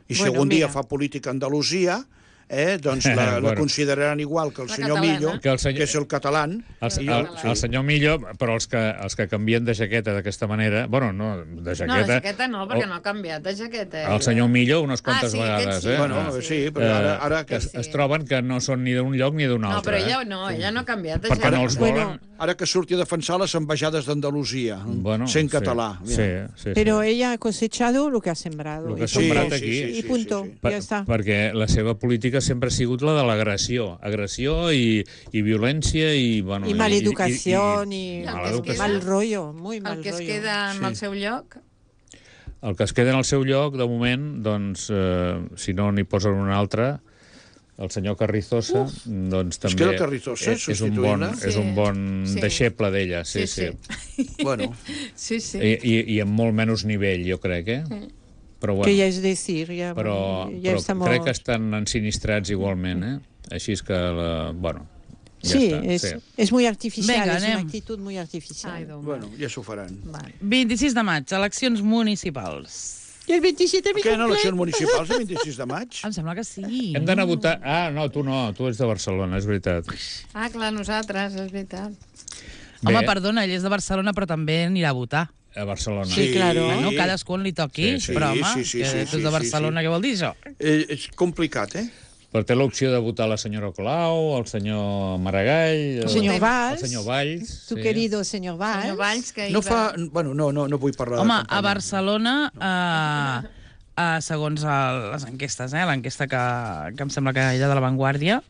[SPEAKER 3] I si
[SPEAKER 5] Bueno,
[SPEAKER 3] algun dia
[SPEAKER 5] mira.
[SPEAKER 3] fa política a Andalusia, eh, doncs la, la
[SPEAKER 4] Bueno.
[SPEAKER 3] consideraran igual que el
[SPEAKER 6] La
[SPEAKER 3] senyor
[SPEAKER 6] catalana.
[SPEAKER 3] Millo,
[SPEAKER 4] Que el senyor-
[SPEAKER 3] que és el català.
[SPEAKER 4] El,
[SPEAKER 3] I
[SPEAKER 4] el,
[SPEAKER 3] jo-
[SPEAKER 4] el senyor Millo, però els que, els que canvien de jaqueta d'aquesta manera... Bueno, no, de
[SPEAKER 6] No,
[SPEAKER 4] jaqueta...
[SPEAKER 6] la jaqueta no, perquè no ha canviat de jaqueta.
[SPEAKER 4] El senyor Millo unes quantes
[SPEAKER 6] sí,
[SPEAKER 4] vegades,
[SPEAKER 6] aquest sí.
[SPEAKER 4] eh?
[SPEAKER 3] Bueno,
[SPEAKER 6] Ah,
[SPEAKER 3] sí, però ara, ara
[SPEAKER 4] que
[SPEAKER 3] que,
[SPEAKER 4] es, es troben que no són ni d'un lloc ni d'un
[SPEAKER 6] No,
[SPEAKER 4] altre.
[SPEAKER 6] però ella
[SPEAKER 4] eh?
[SPEAKER 6] no, ella no ha canviat de
[SPEAKER 4] Perquè
[SPEAKER 6] jaqueta.
[SPEAKER 4] no els
[SPEAKER 5] Bueno,
[SPEAKER 4] volen...
[SPEAKER 3] ara que surti a defensar les ambaixades d'Andalusia,
[SPEAKER 4] Bueno,
[SPEAKER 3] sent
[SPEAKER 4] sí,
[SPEAKER 3] català.
[SPEAKER 4] Sí,
[SPEAKER 3] Mira.
[SPEAKER 4] sí, sí.
[SPEAKER 5] Pero ella ha cosechado lo que ha sembrado.
[SPEAKER 4] Lo que
[SPEAKER 5] y
[SPEAKER 4] ha
[SPEAKER 5] punto.
[SPEAKER 4] sembrat aquí.
[SPEAKER 5] Y punto,
[SPEAKER 4] Per,
[SPEAKER 5] ya está.
[SPEAKER 4] perquè la seva política sempre ha sigut la de l'agressió. Agressió i, i violència i... Bueno,
[SPEAKER 5] Y maleducación
[SPEAKER 4] i,
[SPEAKER 5] y,
[SPEAKER 6] el que es
[SPEAKER 4] maleducació.
[SPEAKER 6] queda-
[SPEAKER 5] mal rollo, muy mal
[SPEAKER 6] El que es
[SPEAKER 5] rollo.
[SPEAKER 6] queda en
[SPEAKER 3] Sí.
[SPEAKER 6] el seu lloc...
[SPEAKER 4] El que es queda en el seu lloc, de moment, doncs, eh, si no n'hi posen un altre, el senyor Carrizosa, doncs també...
[SPEAKER 3] queda el Carrizosa,
[SPEAKER 4] és, és un bon,
[SPEAKER 3] substituint-la?
[SPEAKER 4] és un bon
[SPEAKER 6] Sí.
[SPEAKER 4] deixeble d'ella, sí, sí.
[SPEAKER 6] sí.
[SPEAKER 3] Bueno,
[SPEAKER 6] Sí, sí.
[SPEAKER 4] I, i, I amb molt menys nivell, jo crec, eh? Però, bueno,
[SPEAKER 5] Que ya es decir, ya,
[SPEAKER 4] però,
[SPEAKER 5] ya
[SPEAKER 4] però
[SPEAKER 5] estamos...
[SPEAKER 4] crec que estan ensinistrats igualment, eh? Així és que, la, bueno, ja
[SPEAKER 5] sí,
[SPEAKER 4] està.
[SPEAKER 5] es,
[SPEAKER 4] sí.
[SPEAKER 5] es muy artificial,
[SPEAKER 2] Venga,
[SPEAKER 5] es una
[SPEAKER 2] anem.
[SPEAKER 5] actitud muy artificial.
[SPEAKER 6] Ai, Déu
[SPEAKER 3] bueno, ja s'ho faran.
[SPEAKER 6] Vale.
[SPEAKER 2] vint-i-sis de maig, eleccions municipals.
[SPEAKER 5] Y el veintisiete mi
[SPEAKER 3] Què, no,
[SPEAKER 5] cumple.
[SPEAKER 3] eleccions municipals el vint-i-sis de maig?
[SPEAKER 2] Em sembla que sí.
[SPEAKER 4] Hem d'anar a votar... Ah, no, tu no, tu ets de Barcelona, és veritat.
[SPEAKER 6] Ah, clar, nosaltres, és veritat.
[SPEAKER 2] Home,
[SPEAKER 4] Bé,
[SPEAKER 2] perdona, ell és de Barcelona, però també anirà a votar.
[SPEAKER 4] a Barcelona.
[SPEAKER 5] Sí, claro.
[SPEAKER 2] Bueno, cadascú on li toqui,
[SPEAKER 3] Sí, sí,
[SPEAKER 2] però home,
[SPEAKER 3] sí, sí,
[SPEAKER 2] que
[SPEAKER 3] sí,
[SPEAKER 2] tu ets
[SPEAKER 3] sí,
[SPEAKER 2] de Barcelona,
[SPEAKER 3] sí,
[SPEAKER 2] què vol dir això?
[SPEAKER 3] Eh, és complicat, eh?
[SPEAKER 4] Però té l'opció de votar la senyora Colau, el senyor Maragall...
[SPEAKER 5] El senyor
[SPEAKER 4] El
[SPEAKER 5] Valls,
[SPEAKER 4] senyor Valls.
[SPEAKER 5] tu
[SPEAKER 4] sí.
[SPEAKER 5] querido señor Valls.
[SPEAKER 6] Senyor Valls, que hi
[SPEAKER 3] No
[SPEAKER 6] va...
[SPEAKER 3] fa... Bueno, no, no, no vull parlar
[SPEAKER 2] Home,
[SPEAKER 3] de
[SPEAKER 2] a
[SPEAKER 3] campanya.
[SPEAKER 2] Barcelona, eh, eh, segons el, les enquestes, eh, l'enquesta que, que em sembla que era de La Vanguardia,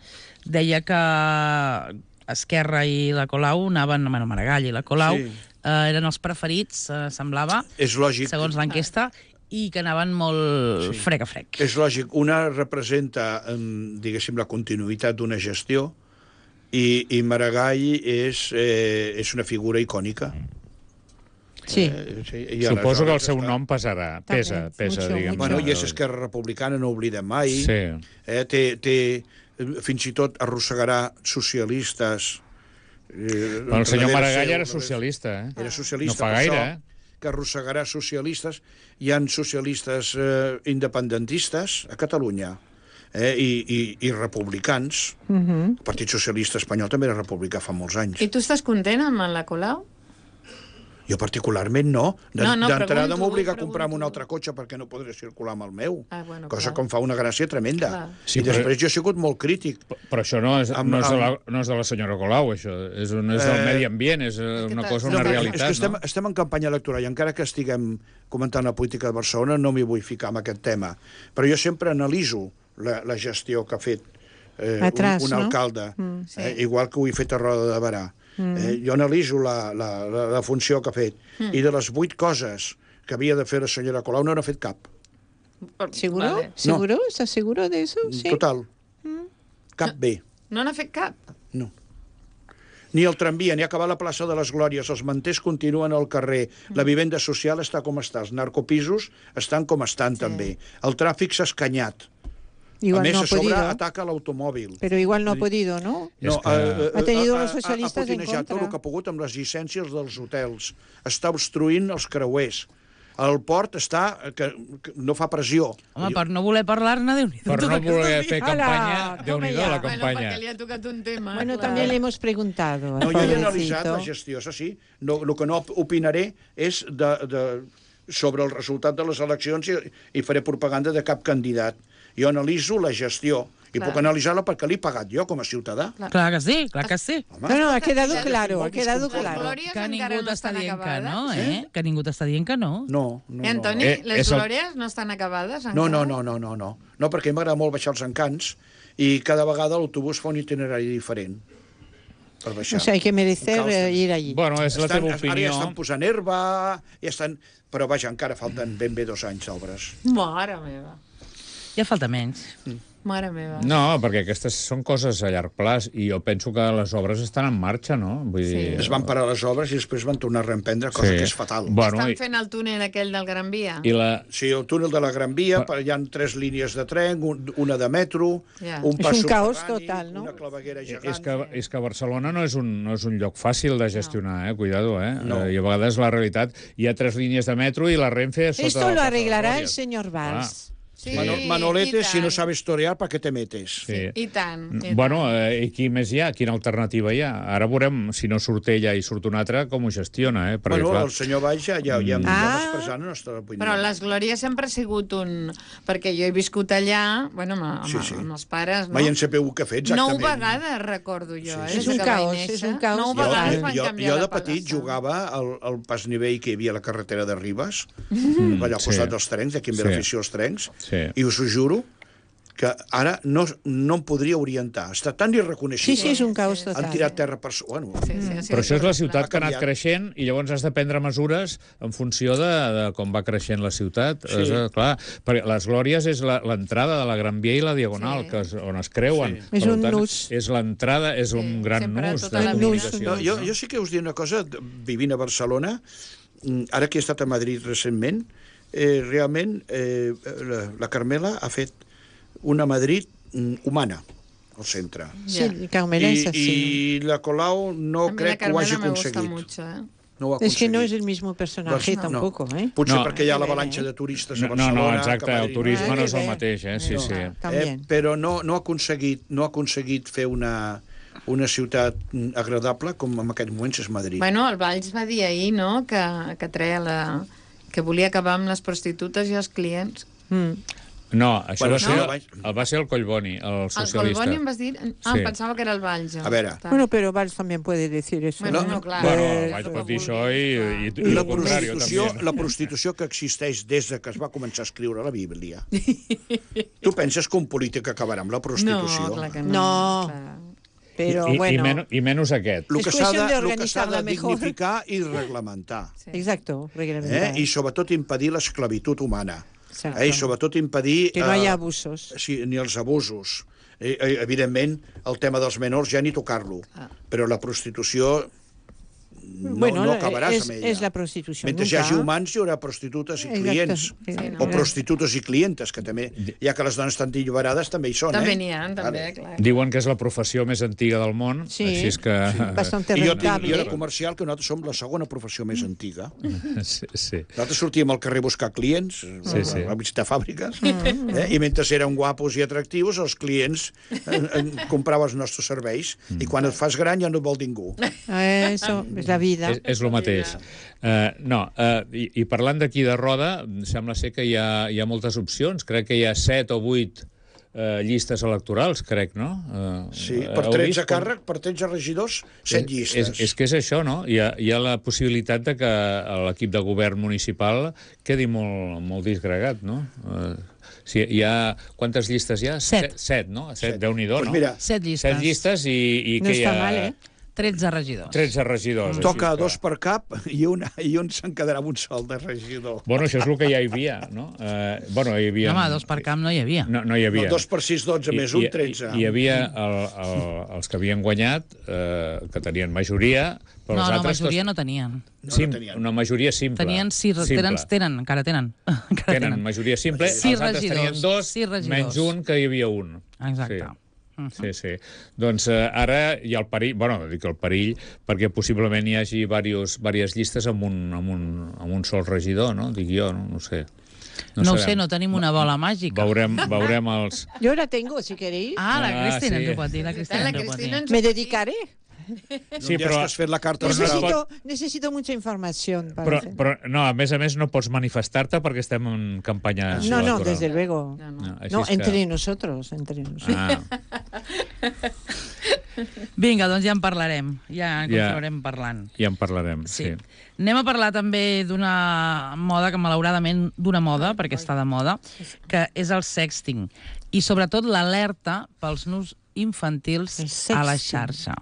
[SPEAKER 2] deia que Esquerra i la Colau anaven, bueno, Maragall i la Colau,
[SPEAKER 3] Sí.
[SPEAKER 2] eh, eren els preferits, eh, semblava,
[SPEAKER 3] És lògic.
[SPEAKER 2] segons l'enquesta, i que anaven molt
[SPEAKER 3] Sí.
[SPEAKER 2] frec a frec.
[SPEAKER 3] És lògic. Una representa, em, diguéssim, la continuïtat d'una gestió i, i Maragall és, eh, és una figura icònica.
[SPEAKER 5] Sí.
[SPEAKER 3] Eh, sí, i
[SPEAKER 4] Suposo que el
[SPEAKER 3] aleshores
[SPEAKER 4] seu
[SPEAKER 3] està-
[SPEAKER 4] nom pesarà, pesa,
[SPEAKER 5] També,
[SPEAKER 4] pesa,
[SPEAKER 5] mucho,
[SPEAKER 4] diguem.
[SPEAKER 3] Bueno, i és Esquerra Republicana, no ho oblidem mai.
[SPEAKER 4] Sí.
[SPEAKER 3] Eh, té, té, fins i tot arrossegarà socialistes. Eh,
[SPEAKER 4] Però el senyor
[SPEAKER 3] darrere
[SPEAKER 4] Maragall
[SPEAKER 3] seu,
[SPEAKER 4] era
[SPEAKER 3] darrere-
[SPEAKER 4] socialista, eh?
[SPEAKER 3] Era socialista,
[SPEAKER 4] No fa
[SPEAKER 3] per
[SPEAKER 4] gaire,
[SPEAKER 3] això,
[SPEAKER 4] eh?
[SPEAKER 3] que arrossegarà socialistes. Hi ha socialistes eh, independentistes a Catalunya eh, i, i, i republicans.
[SPEAKER 5] Uh -huh.
[SPEAKER 3] El Partit Socialista Espanyol també era republicà fa molts anys.
[SPEAKER 6] I tu estàs content amb la Colau?
[SPEAKER 3] Jo particularment no. De-
[SPEAKER 6] No, no,
[SPEAKER 3] D'entrada
[SPEAKER 6] pregunto,
[SPEAKER 3] m'obliga a
[SPEAKER 6] pregunto.
[SPEAKER 3] comprar-me un altre cotxe perquè no podré circular amb el meu.
[SPEAKER 6] Ah, bueno,
[SPEAKER 3] cosa
[SPEAKER 6] clar.
[SPEAKER 3] que em fa una gràcia tremenda.
[SPEAKER 6] Clar.
[SPEAKER 4] Sí,
[SPEAKER 3] I
[SPEAKER 4] però-
[SPEAKER 3] després jo he sigut molt crític.
[SPEAKER 4] Però això no és,
[SPEAKER 3] Amb-
[SPEAKER 4] no és, de, la,
[SPEAKER 3] amb-
[SPEAKER 4] no és de la senyora Colau, això. És, un, és del
[SPEAKER 3] Eh,
[SPEAKER 4] medi ambient, és eh, una cosa,
[SPEAKER 6] No,
[SPEAKER 4] una
[SPEAKER 3] però
[SPEAKER 4] realitat,
[SPEAKER 3] és que estem,
[SPEAKER 4] no?
[SPEAKER 3] estem en campanya electoral i encara que estiguem comentant la política de Barcelona no m'hi vull ficar en aquest tema. Però jo sempre analiso la, la gestió que ha fet eh,
[SPEAKER 5] Atrás,
[SPEAKER 3] un, un
[SPEAKER 5] no?
[SPEAKER 3] alcalde,
[SPEAKER 5] Mm.
[SPEAKER 6] Sí.
[SPEAKER 3] eh, igual que ho he fet a Roda de Barà. Mm. Eh, jo analiso la, la, la, la funció que ha fet mm. i de les vuit coses que havia de fer la senyora Colau no n'ha fet cap.
[SPEAKER 5] ¿Seguro?
[SPEAKER 6] Vale.
[SPEAKER 5] ¿Seguro? ¿Estás seguro de eso? Sí.
[SPEAKER 3] Total. Cap bé.
[SPEAKER 6] No n'ha fet cap.
[SPEAKER 3] No. Ni el tramvia, ni acabar la plaça de les Glòries, els manters continuen al carrer, la vivenda social està com està, els narcopisos estan com estan sí. també, el tràfic s'ha escanyat,
[SPEAKER 5] Igual
[SPEAKER 3] a més
[SPEAKER 5] no
[SPEAKER 3] a
[SPEAKER 5] ha
[SPEAKER 3] sobre
[SPEAKER 5] podido.
[SPEAKER 3] ataca l'automòbil.
[SPEAKER 5] Pero igual no ha podido, ¿no?
[SPEAKER 3] No,
[SPEAKER 4] És que-
[SPEAKER 3] eh, eh,
[SPEAKER 5] Ha tenido
[SPEAKER 3] eh,
[SPEAKER 5] los socialistes
[SPEAKER 3] ha, ha
[SPEAKER 5] en
[SPEAKER 3] potinejat tot
[SPEAKER 5] contra.
[SPEAKER 3] el que ha pogut amb les llicències dels hotels. Està obstruint els creuers. El port està... que, que no fa pressió.
[SPEAKER 2] Home, per no voler parlar-ne, Déu-n'hi-do.
[SPEAKER 4] Per
[SPEAKER 2] tot
[SPEAKER 4] no
[SPEAKER 2] el que estàs
[SPEAKER 4] voler
[SPEAKER 2] dient.
[SPEAKER 4] fer
[SPEAKER 5] Ala,
[SPEAKER 4] campanya, Déu-n'hi-do
[SPEAKER 5] toma
[SPEAKER 4] la
[SPEAKER 5] ya.
[SPEAKER 6] Bueno,
[SPEAKER 4] campanya.
[SPEAKER 6] perquè li ha tocat un tema.
[SPEAKER 5] Bueno,
[SPEAKER 6] clar.
[SPEAKER 5] también le hemos preguntado.
[SPEAKER 3] No,
[SPEAKER 5] al
[SPEAKER 3] jo he
[SPEAKER 5] pobrecito.
[SPEAKER 3] analitzat la gestió, això sí. No, el que no opinaré és de, de, sobre el resultat de les eleccions i, i faré propaganda de cap candidat. Jo analitzo la gestió i
[SPEAKER 6] Clar.
[SPEAKER 3] puc analitzar-la perquè l'he pagat jo com a ciutadà.
[SPEAKER 2] Clar que sí, clar que sí.
[SPEAKER 3] Home,
[SPEAKER 5] No, no, ha quedado
[SPEAKER 6] Ja
[SPEAKER 5] claro, ha
[SPEAKER 3] molt
[SPEAKER 5] quedado
[SPEAKER 3] disconfort.
[SPEAKER 5] claro.
[SPEAKER 6] Glòries
[SPEAKER 2] Que
[SPEAKER 6] encara
[SPEAKER 2] ningú
[SPEAKER 6] no
[SPEAKER 2] t'està
[SPEAKER 6] estan
[SPEAKER 2] dient que
[SPEAKER 6] acabades.
[SPEAKER 2] no, eh? Que ningú t'està dient que no.
[SPEAKER 3] no, no,
[SPEAKER 6] Eh, Antoni,
[SPEAKER 3] no.
[SPEAKER 4] Eh,
[SPEAKER 6] les
[SPEAKER 4] és el-
[SPEAKER 6] glòries no estan acabades encara?
[SPEAKER 3] No, no, no, no, no, no. No, perquè m'agrada molt baixar els encants i cada vegada l'autobús fa un itinerari diferent per baixar.
[SPEAKER 5] O sea, hay que merecer
[SPEAKER 3] Un caos.
[SPEAKER 5] eh, ir allí.
[SPEAKER 4] Bueno, és la
[SPEAKER 3] Estan,
[SPEAKER 4] teva
[SPEAKER 3] ara ja
[SPEAKER 4] opinió.
[SPEAKER 3] estan posant herba, ja estan... Però vaja, encara falten ben bé dos anys d'obres.
[SPEAKER 6] Mare meva.
[SPEAKER 2] Ja falta menys.
[SPEAKER 6] Mare meva.
[SPEAKER 4] No, perquè aquestes són coses a llarg plaç i jo penso que les obres estan en marxa, no? Vull
[SPEAKER 6] Sí.
[SPEAKER 4] dir...
[SPEAKER 3] Es van parar les obres i després van tornar a reemprendre, cosa
[SPEAKER 4] Sí.
[SPEAKER 3] que és fatal.
[SPEAKER 4] Bueno,
[SPEAKER 6] Estan
[SPEAKER 4] i,
[SPEAKER 6] fent el túnel aquell del Gran Via?
[SPEAKER 4] i la...
[SPEAKER 3] Sí, el túnel de la Gran Via, hi ha tres línies de tren, un, una de metro,
[SPEAKER 6] Ja.
[SPEAKER 3] un
[SPEAKER 5] És
[SPEAKER 3] pas
[SPEAKER 5] un caos
[SPEAKER 3] subterrani,
[SPEAKER 5] total, no?
[SPEAKER 3] una claveguera gegant.
[SPEAKER 4] És que, és que Barcelona no és, un, no és un lloc fàcil de gestionar, eh? Cuidado, eh?
[SPEAKER 3] No.
[SPEAKER 4] Eh, I a vegades la realitat... Hi ha tres línies de metro i la Renfe sota...
[SPEAKER 5] Esto
[SPEAKER 4] del
[SPEAKER 5] lo
[SPEAKER 4] Pas de
[SPEAKER 5] arreglará el
[SPEAKER 4] Glòries.
[SPEAKER 5] señor Valls.
[SPEAKER 6] Sí,
[SPEAKER 3] Mano,
[SPEAKER 6] i
[SPEAKER 3] Manolete, si no
[SPEAKER 6] tant.
[SPEAKER 3] sabes torear, ¿para qué te metes?
[SPEAKER 4] Sí.
[SPEAKER 6] I tant. I
[SPEAKER 4] Bueno,
[SPEAKER 6] tant.
[SPEAKER 4] eh, i qui més hi ha? Quina alternativa hi ha? Ara veurem, si no surt ella i surt una altra, com ho gestiona, eh? Perquè,
[SPEAKER 3] Bueno,
[SPEAKER 4] clar,
[SPEAKER 3] el senyor Valls ja, ja, ja, ja
[SPEAKER 5] Ah.
[SPEAKER 3] va expressar la nostra opinió.
[SPEAKER 6] Però les Glòries sempre ha sigut un... Perquè jo he viscut allà, bueno, amb, amb,
[SPEAKER 3] Sí, sí.
[SPEAKER 6] amb els pares, no?
[SPEAKER 3] Mai en sapeu què ha fet,
[SPEAKER 6] Nou
[SPEAKER 3] exactament.
[SPEAKER 6] vegades, recordo jo.
[SPEAKER 3] Sí,
[SPEAKER 6] eh,
[SPEAKER 3] sí.
[SPEAKER 6] des
[SPEAKER 5] És un
[SPEAKER 6] que vaig
[SPEAKER 5] caos,
[SPEAKER 6] néixer.
[SPEAKER 5] és un caos
[SPEAKER 6] Nou
[SPEAKER 5] total.
[SPEAKER 6] vegades
[SPEAKER 3] Jo,
[SPEAKER 6] van
[SPEAKER 3] jo,
[SPEAKER 6] canviar
[SPEAKER 3] jo de
[SPEAKER 6] de
[SPEAKER 3] petit
[SPEAKER 6] pagassa.
[SPEAKER 3] jugava al, al pas nivell que hi havia a la carretera de Ribes, mm, allà al
[SPEAKER 4] sí.
[SPEAKER 3] costat dels trens, aquí em ve
[SPEAKER 4] Sí.
[SPEAKER 3] l'afició als trens,
[SPEAKER 4] Sí.
[SPEAKER 3] i us ho juro que ara no, no em podria orientar. Està tan
[SPEAKER 5] Sí,
[SPEAKER 3] irreconeixible.
[SPEAKER 5] sí, es un caos total.
[SPEAKER 3] Han tirat terra per... Bueno,
[SPEAKER 6] Sí, sí, sí,
[SPEAKER 4] Però això és la ciutat
[SPEAKER 3] Ha
[SPEAKER 4] que ha anat
[SPEAKER 3] canviat.
[SPEAKER 4] creixent i llavors has de prendre mesures en funció de, de com va creixent la ciutat.
[SPEAKER 3] Sí.
[SPEAKER 4] És, eh, clar, perquè les Glòries és la- l'entrada de la Gran Via i la Diagonal,
[SPEAKER 6] Sí.
[SPEAKER 4] que és, on es creuen.
[SPEAKER 3] Sí.
[SPEAKER 4] Per
[SPEAKER 5] És un
[SPEAKER 4] tant,
[SPEAKER 5] nus.
[SPEAKER 4] És l'entrada, és un gran
[SPEAKER 6] sempre
[SPEAKER 4] nus
[SPEAKER 6] tota
[SPEAKER 4] de
[SPEAKER 6] la
[SPEAKER 5] vida.
[SPEAKER 4] comunicació.
[SPEAKER 5] Un
[SPEAKER 3] No, jo, jo sí que us diré una cosa, vivint a Barcelona, mm, ara que he estat a Madrid recentment, eh, realment eh, la, la Carmela ha fet una Madrid mm, humana al centre.
[SPEAKER 5] Sí,
[SPEAKER 6] Ja.
[SPEAKER 5] Carmela
[SPEAKER 3] I,
[SPEAKER 5] es así.
[SPEAKER 3] I la Colau no
[SPEAKER 6] A mí
[SPEAKER 3] crec
[SPEAKER 6] la
[SPEAKER 3] que ho hagi
[SPEAKER 6] Carmela me gusta
[SPEAKER 3] aconseguit.
[SPEAKER 6] mucho, eh?
[SPEAKER 3] No ho ha
[SPEAKER 5] Es que no es
[SPEAKER 3] aconseguit.
[SPEAKER 5] el mismo personaje
[SPEAKER 3] Doncs,
[SPEAKER 5] tampoco,
[SPEAKER 3] no.
[SPEAKER 5] ¿eh?
[SPEAKER 3] Potser
[SPEAKER 6] No.
[SPEAKER 3] perquè hi ha
[SPEAKER 6] Que bé,
[SPEAKER 3] l'avalanxa
[SPEAKER 6] eh?
[SPEAKER 3] de turistes a
[SPEAKER 4] No,
[SPEAKER 3] Barcelona.
[SPEAKER 4] no,
[SPEAKER 3] que
[SPEAKER 4] exacte,
[SPEAKER 3] a
[SPEAKER 4] el
[SPEAKER 3] Madrid
[SPEAKER 4] turisme
[SPEAKER 5] Ah,
[SPEAKER 4] no és
[SPEAKER 5] que
[SPEAKER 4] el
[SPEAKER 5] bé.
[SPEAKER 4] mateix, eh? Sí,
[SPEAKER 6] No.
[SPEAKER 4] sí.
[SPEAKER 3] Eh,
[SPEAKER 5] También.
[SPEAKER 3] però no, no, ha aconseguit, no ha aconseguit fer una, una ciutat mm, agradable com en aquests moments és Madrid.
[SPEAKER 6] Bueno, el Valls va dir ahir, no?, que, que treia la... que volia acabar amb les prostitutes i els clients.
[SPEAKER 5] Mm.
[SPEAKER 4] No, això
[SPEAKER 3] Bueno,
[SPEAKER 4] va, ser,
[SPEAKER 3] no.
[SPEAKER 4] el, va ser el Collboni, el
[SPEAKER 6] El
[SPEAKER 4] socialista.
[SPEAKER 6] Collboni em vas dir... Ah,
[SPEAKER 4] Sí.
[SPEAKER 6] em pensava que era el Valls. jo.
[SPEAKER 3] A veure.
[SPEAKER 6] Està.
[SPEAKER 5] Bueno, pero Valls también puede decir eso.
[SPEAKER 6] Bueno,
[SPEAKER 5] ¿no?
[SPEAKER 6] no, clar.
[SPEAKER 4] Bueno,
[SPEAKER 5] Eh,
[SPEAKER 4] vaig
[SPEAKER 6] el
[SPEAKER 4] pot
[SPEAKER 6] que
[SPEAKER 4] dir això
[SPEAKER 6] vulgui,
[SPEAKER 4] i,
[SPEAKER 6] clar.
[SPEAKER 4] i,
[SPEAKER 3] I
[SPEAKER 4] i
[SPEAKER 3] la
[SPEAKER 4] el contrari,
[SPEAKER 3] prostitució,
[SPEAKER 4] també.
[SPEAKER 3] la prostitució que existeix des de que es va començar a escriure la Bíblia. Tu penses que un polític acabarà amb la prostitució?
[SPEAKER 6] No, clar que no.
[SPEAKER 5] No.
[SPEAKER 6] Clar.
[SPEAKER 5] Pero
[SPEAKER 4] I,
[SPEAKER 5] bueno.
[SPEAKER 4] i, men i menys aquest.
[SPEAKER 3] El
[SPEAKER 5] És
[SPEAKER 3] que s'ha
[SPEAKER 5] qüestió
[SPEAKER 3] de,
[SPEAKER 5] de
[SPEAKER 3] el que s'ha de
[SPEAKER 5] organitzar-la mejor.
[SPEAKER 3] dignificar i reglamentar.
[SPEAKER 6] Sí.
[SPEAKER 5] Exacto,
[SPEAKER 3] Eh?
[SPEAKER 5] reglamentar.
[SPEAKER 3] I sobretot impedir l'esclavitud humana.
[SPEAKER 5] Exacto.
[SPEAKER 3] Eh? I sobretot impedir...
[SPEAKER 5] Que no haya
[SPEAKER 3] eh,
[SPEAKER 5] abusos.
[SPEAKER 3] Sí, ni els abusos. Eh, eh, evidentment, el tema dels menors ja ni tocar-lo.
[SPEAKER 6] Ah.
[SPEAKER 3] Però la prostitució no,
[SPEAKER 5] Bueno,
[SPEAKER 3] no acabaràs
[SPEAKER 5] es,
[SPEAKER 3] amb ella.
[SPEAKER 5] es la prostitución.
[SPEAKER 3] Mentre hi
[SPEAKER 5] nunca.
[SPEAKER 3] hagi humans hi haurà prostitutes i
[SPEAKER 5] Exacte.
[SPEAKER 3] clients.
[SPEAKER 5] Sí,
[SPEAKER 3] O
[SPEAKER 5] no.
[SPEAKER 3] prostitutes i clientes, que també, ja que les dones estan alliberades, també hi són,
[SPEAKER 6] També
[SPEAKER 3] eh?
[SPEAKER 6] n'hi ha, també,
[SPEAKER 3] Vale.
[SPEAKER 6] clar.
[SPEAKER 4] Diuen que és la professió més antiga del món,
[SPEAKER 5] Sí.
[SPEAKER 4] així és que...
[SPEAKER 5] Bastante
[SPEAKER 3] I jo, tinc,
[SPEAKER 5] rentable.
[SPEAKER 3] jo de comercial, que nosaltres som la segona professió més antiga.
[SPEAKER 4] Sí, sí.
[SPEAKER 3] Nosaltres sortíem al carrer a buscar clients,
[SPEAKER 4] Sí, sí.
[SPEAKER 3] a visitar fàbriques, eh? I mentre eren guapos i atractius, els clients eh, eh, compraven els nostres serveis, i quan et fas gran ja no et vol ningú.
[SPEAKER 5] Eso, es la la vida.
[SPEAKER 4] És, és el mateix. Uh, no, uh, i, i parlant d'aquí de Roda, sembla ser que hi ha, hi ha moltes opcions. Crec que hi ha set o vuit uh, llistes electorals, crec, no? Uh,
[SPEAKER 3] Sí, per tretze càrrec, per tretze regidors, set llistes.
[SPEAKER 4] És, és que és això, no? Hi ha, hi ha la possibilitat de que l'equip de govern municipal quedi molt, molt disgregat, no? Uh, sí, hi ha... Quantes llistes hi ha?
[SPEAKER 2] Set.
[SPEAKER 4] Set, set no? Set,
[SPEAKER 3] Set.
[SPEAKER 4] Déu-n'hi-do,
[SPEAKER 3] Pues
[SPEAKER 4] no?
[SPEAKER 3] mira,
[SPEAKER 2] Set llistes.
[SPEAKER 4] Set llistes i, i
[SPEAKER 5] No
[SPEAKER 4] que hi
[SPEAKER 5] està
[SPEAKER 4] ha...
[SPEAKER 5] mal, eh?
[SPEAKER 2] tretze regidors.
[SPEAKER 4] tretze regidors.
[SPEAKER 3] toca
[SPEAKER 4] així que-
[SPEAKER 3] dos per cap i, una, i un se'n quedarà amb un sol de regidor.
[SPEAKER 4] Bueno, això és el que ja hi havia, no? Uh, bueno, hi havia...
[SPEAKER 2] No, home, dos per camp no hi havia.
[SPEAKER 4] No, no hi havia.
[SPEAKER 3] No, dos per sis, dotze, més un, tretze.
[SPEAKER 4] Hi, hi havia el, el, els que havien guanyat, eh, que tenien majoria, però
[SPEAKER 2] No,
[SPEAKER 4] els
[SPEAKER 2] no,
[SPEAKER 4] altres...
[SPEAKER 2] majoria
[SPEAKER 4] tots-
[SPEAKER 2] no tenien.
[SPEAKER 3] No,
[SPEAKER 4] Sim,
[SPEAKER 3] no tenien.
[SPEAKER 4] una majoria simple.
[SPEAKER 2] Tenien sis...
[SPEAKER 4] simple.
[SPEAKER 2] Tenen, tenen, encara tenen. Encara
[SPEAKER 4] Tenen majoria simple,
[SPEAKER 2] Sis
[SPEAKER 4] els altres
[SPEAKER 2] regidors,
[SPEAKER 4] tenien dos,
[SPEAKER 2] sis regidors.
[SPEAKER 4] menys un, que hi havia un.
[SPEAKER 2] Exacte.
[SPEAKER 4] Sí. Sí, sí. Doncs eh, ara hi ha el perill, bueno, dic el perill, perquè possiblement hi hagi diversos, diverses llistes amb un, amb, un, amb un sol regidor, no? Dic jo, no, no ho sé.
[SPEAKER 2] No, no ho
[SPEAKER 4] sabem.
[SPEAKER 2] sé, no tenim una bola màgica.
[SPEAKER 4] Veurem, veurem els...
[SPEAKER 5] Yo la tengo, si queréis.
[SPEAKER 2] Ah, la
[SPEAKER 4] Ah,
[SPEAKER 2] Cristina
[SPEAKER 4] sí.
[SPEAKER 2] ens ho pot dir, la Cristina
[SPEAKER 6] La
[SPEAKER 2] ens ho pot
[SPEAKER 6] Cristina
[SPEAKER 2] dir.
[SPEAKER 6] ens
[SPEAKER 5] Me dedicaré.
[SPEAKER 4] Sí,
[SPEAKER 3] Ja
[SPEAKER 4] però,
[SPEAKER 3] has fet la carta
[SPEAKER 4] Però no es
[SPEAKER 3] astral.
[SPEAKER 5] Necesito, necesito mucha información.
[SPEAKER 4] però,
[SPEAKER 5] parece.
[SPEAKER 4] però, no, a més a més, no pots manifestar-te perquè estem en campanya
[SPEAKER 5] No, no,
[SPEAKER 4] electoral.
[SPEAKER 5] desde luego.
[SPEAKER 6] No, no.
[SPEAKER 4] No, així
[SPEAKER 5] No,
[SPEAKER 4] és que-
[SPEAKER 5] entre nosotros, entre nosotros.
[SPEAKER 4] Ah,
[SPEAKER 2] Vinga, doncs ja en parlarem. Ja en
[SPEAKER 4] Ja.
[SPEAKER 2] continuarem parlant.
[SPEAKER 4] ja en parlarem, sí.
[SPEAKER 2] Sí. Anem a parlar també d'una moda que, malauradament, d'una moda, perquè està de moda, que és el sexting. I, sobretot, l'alerta pels nus infantils
[SPEAKER 5] El
[SPEAKER 2] a la
[SPEAKER 5] sexting.
[SPEAKER 2] xarxa.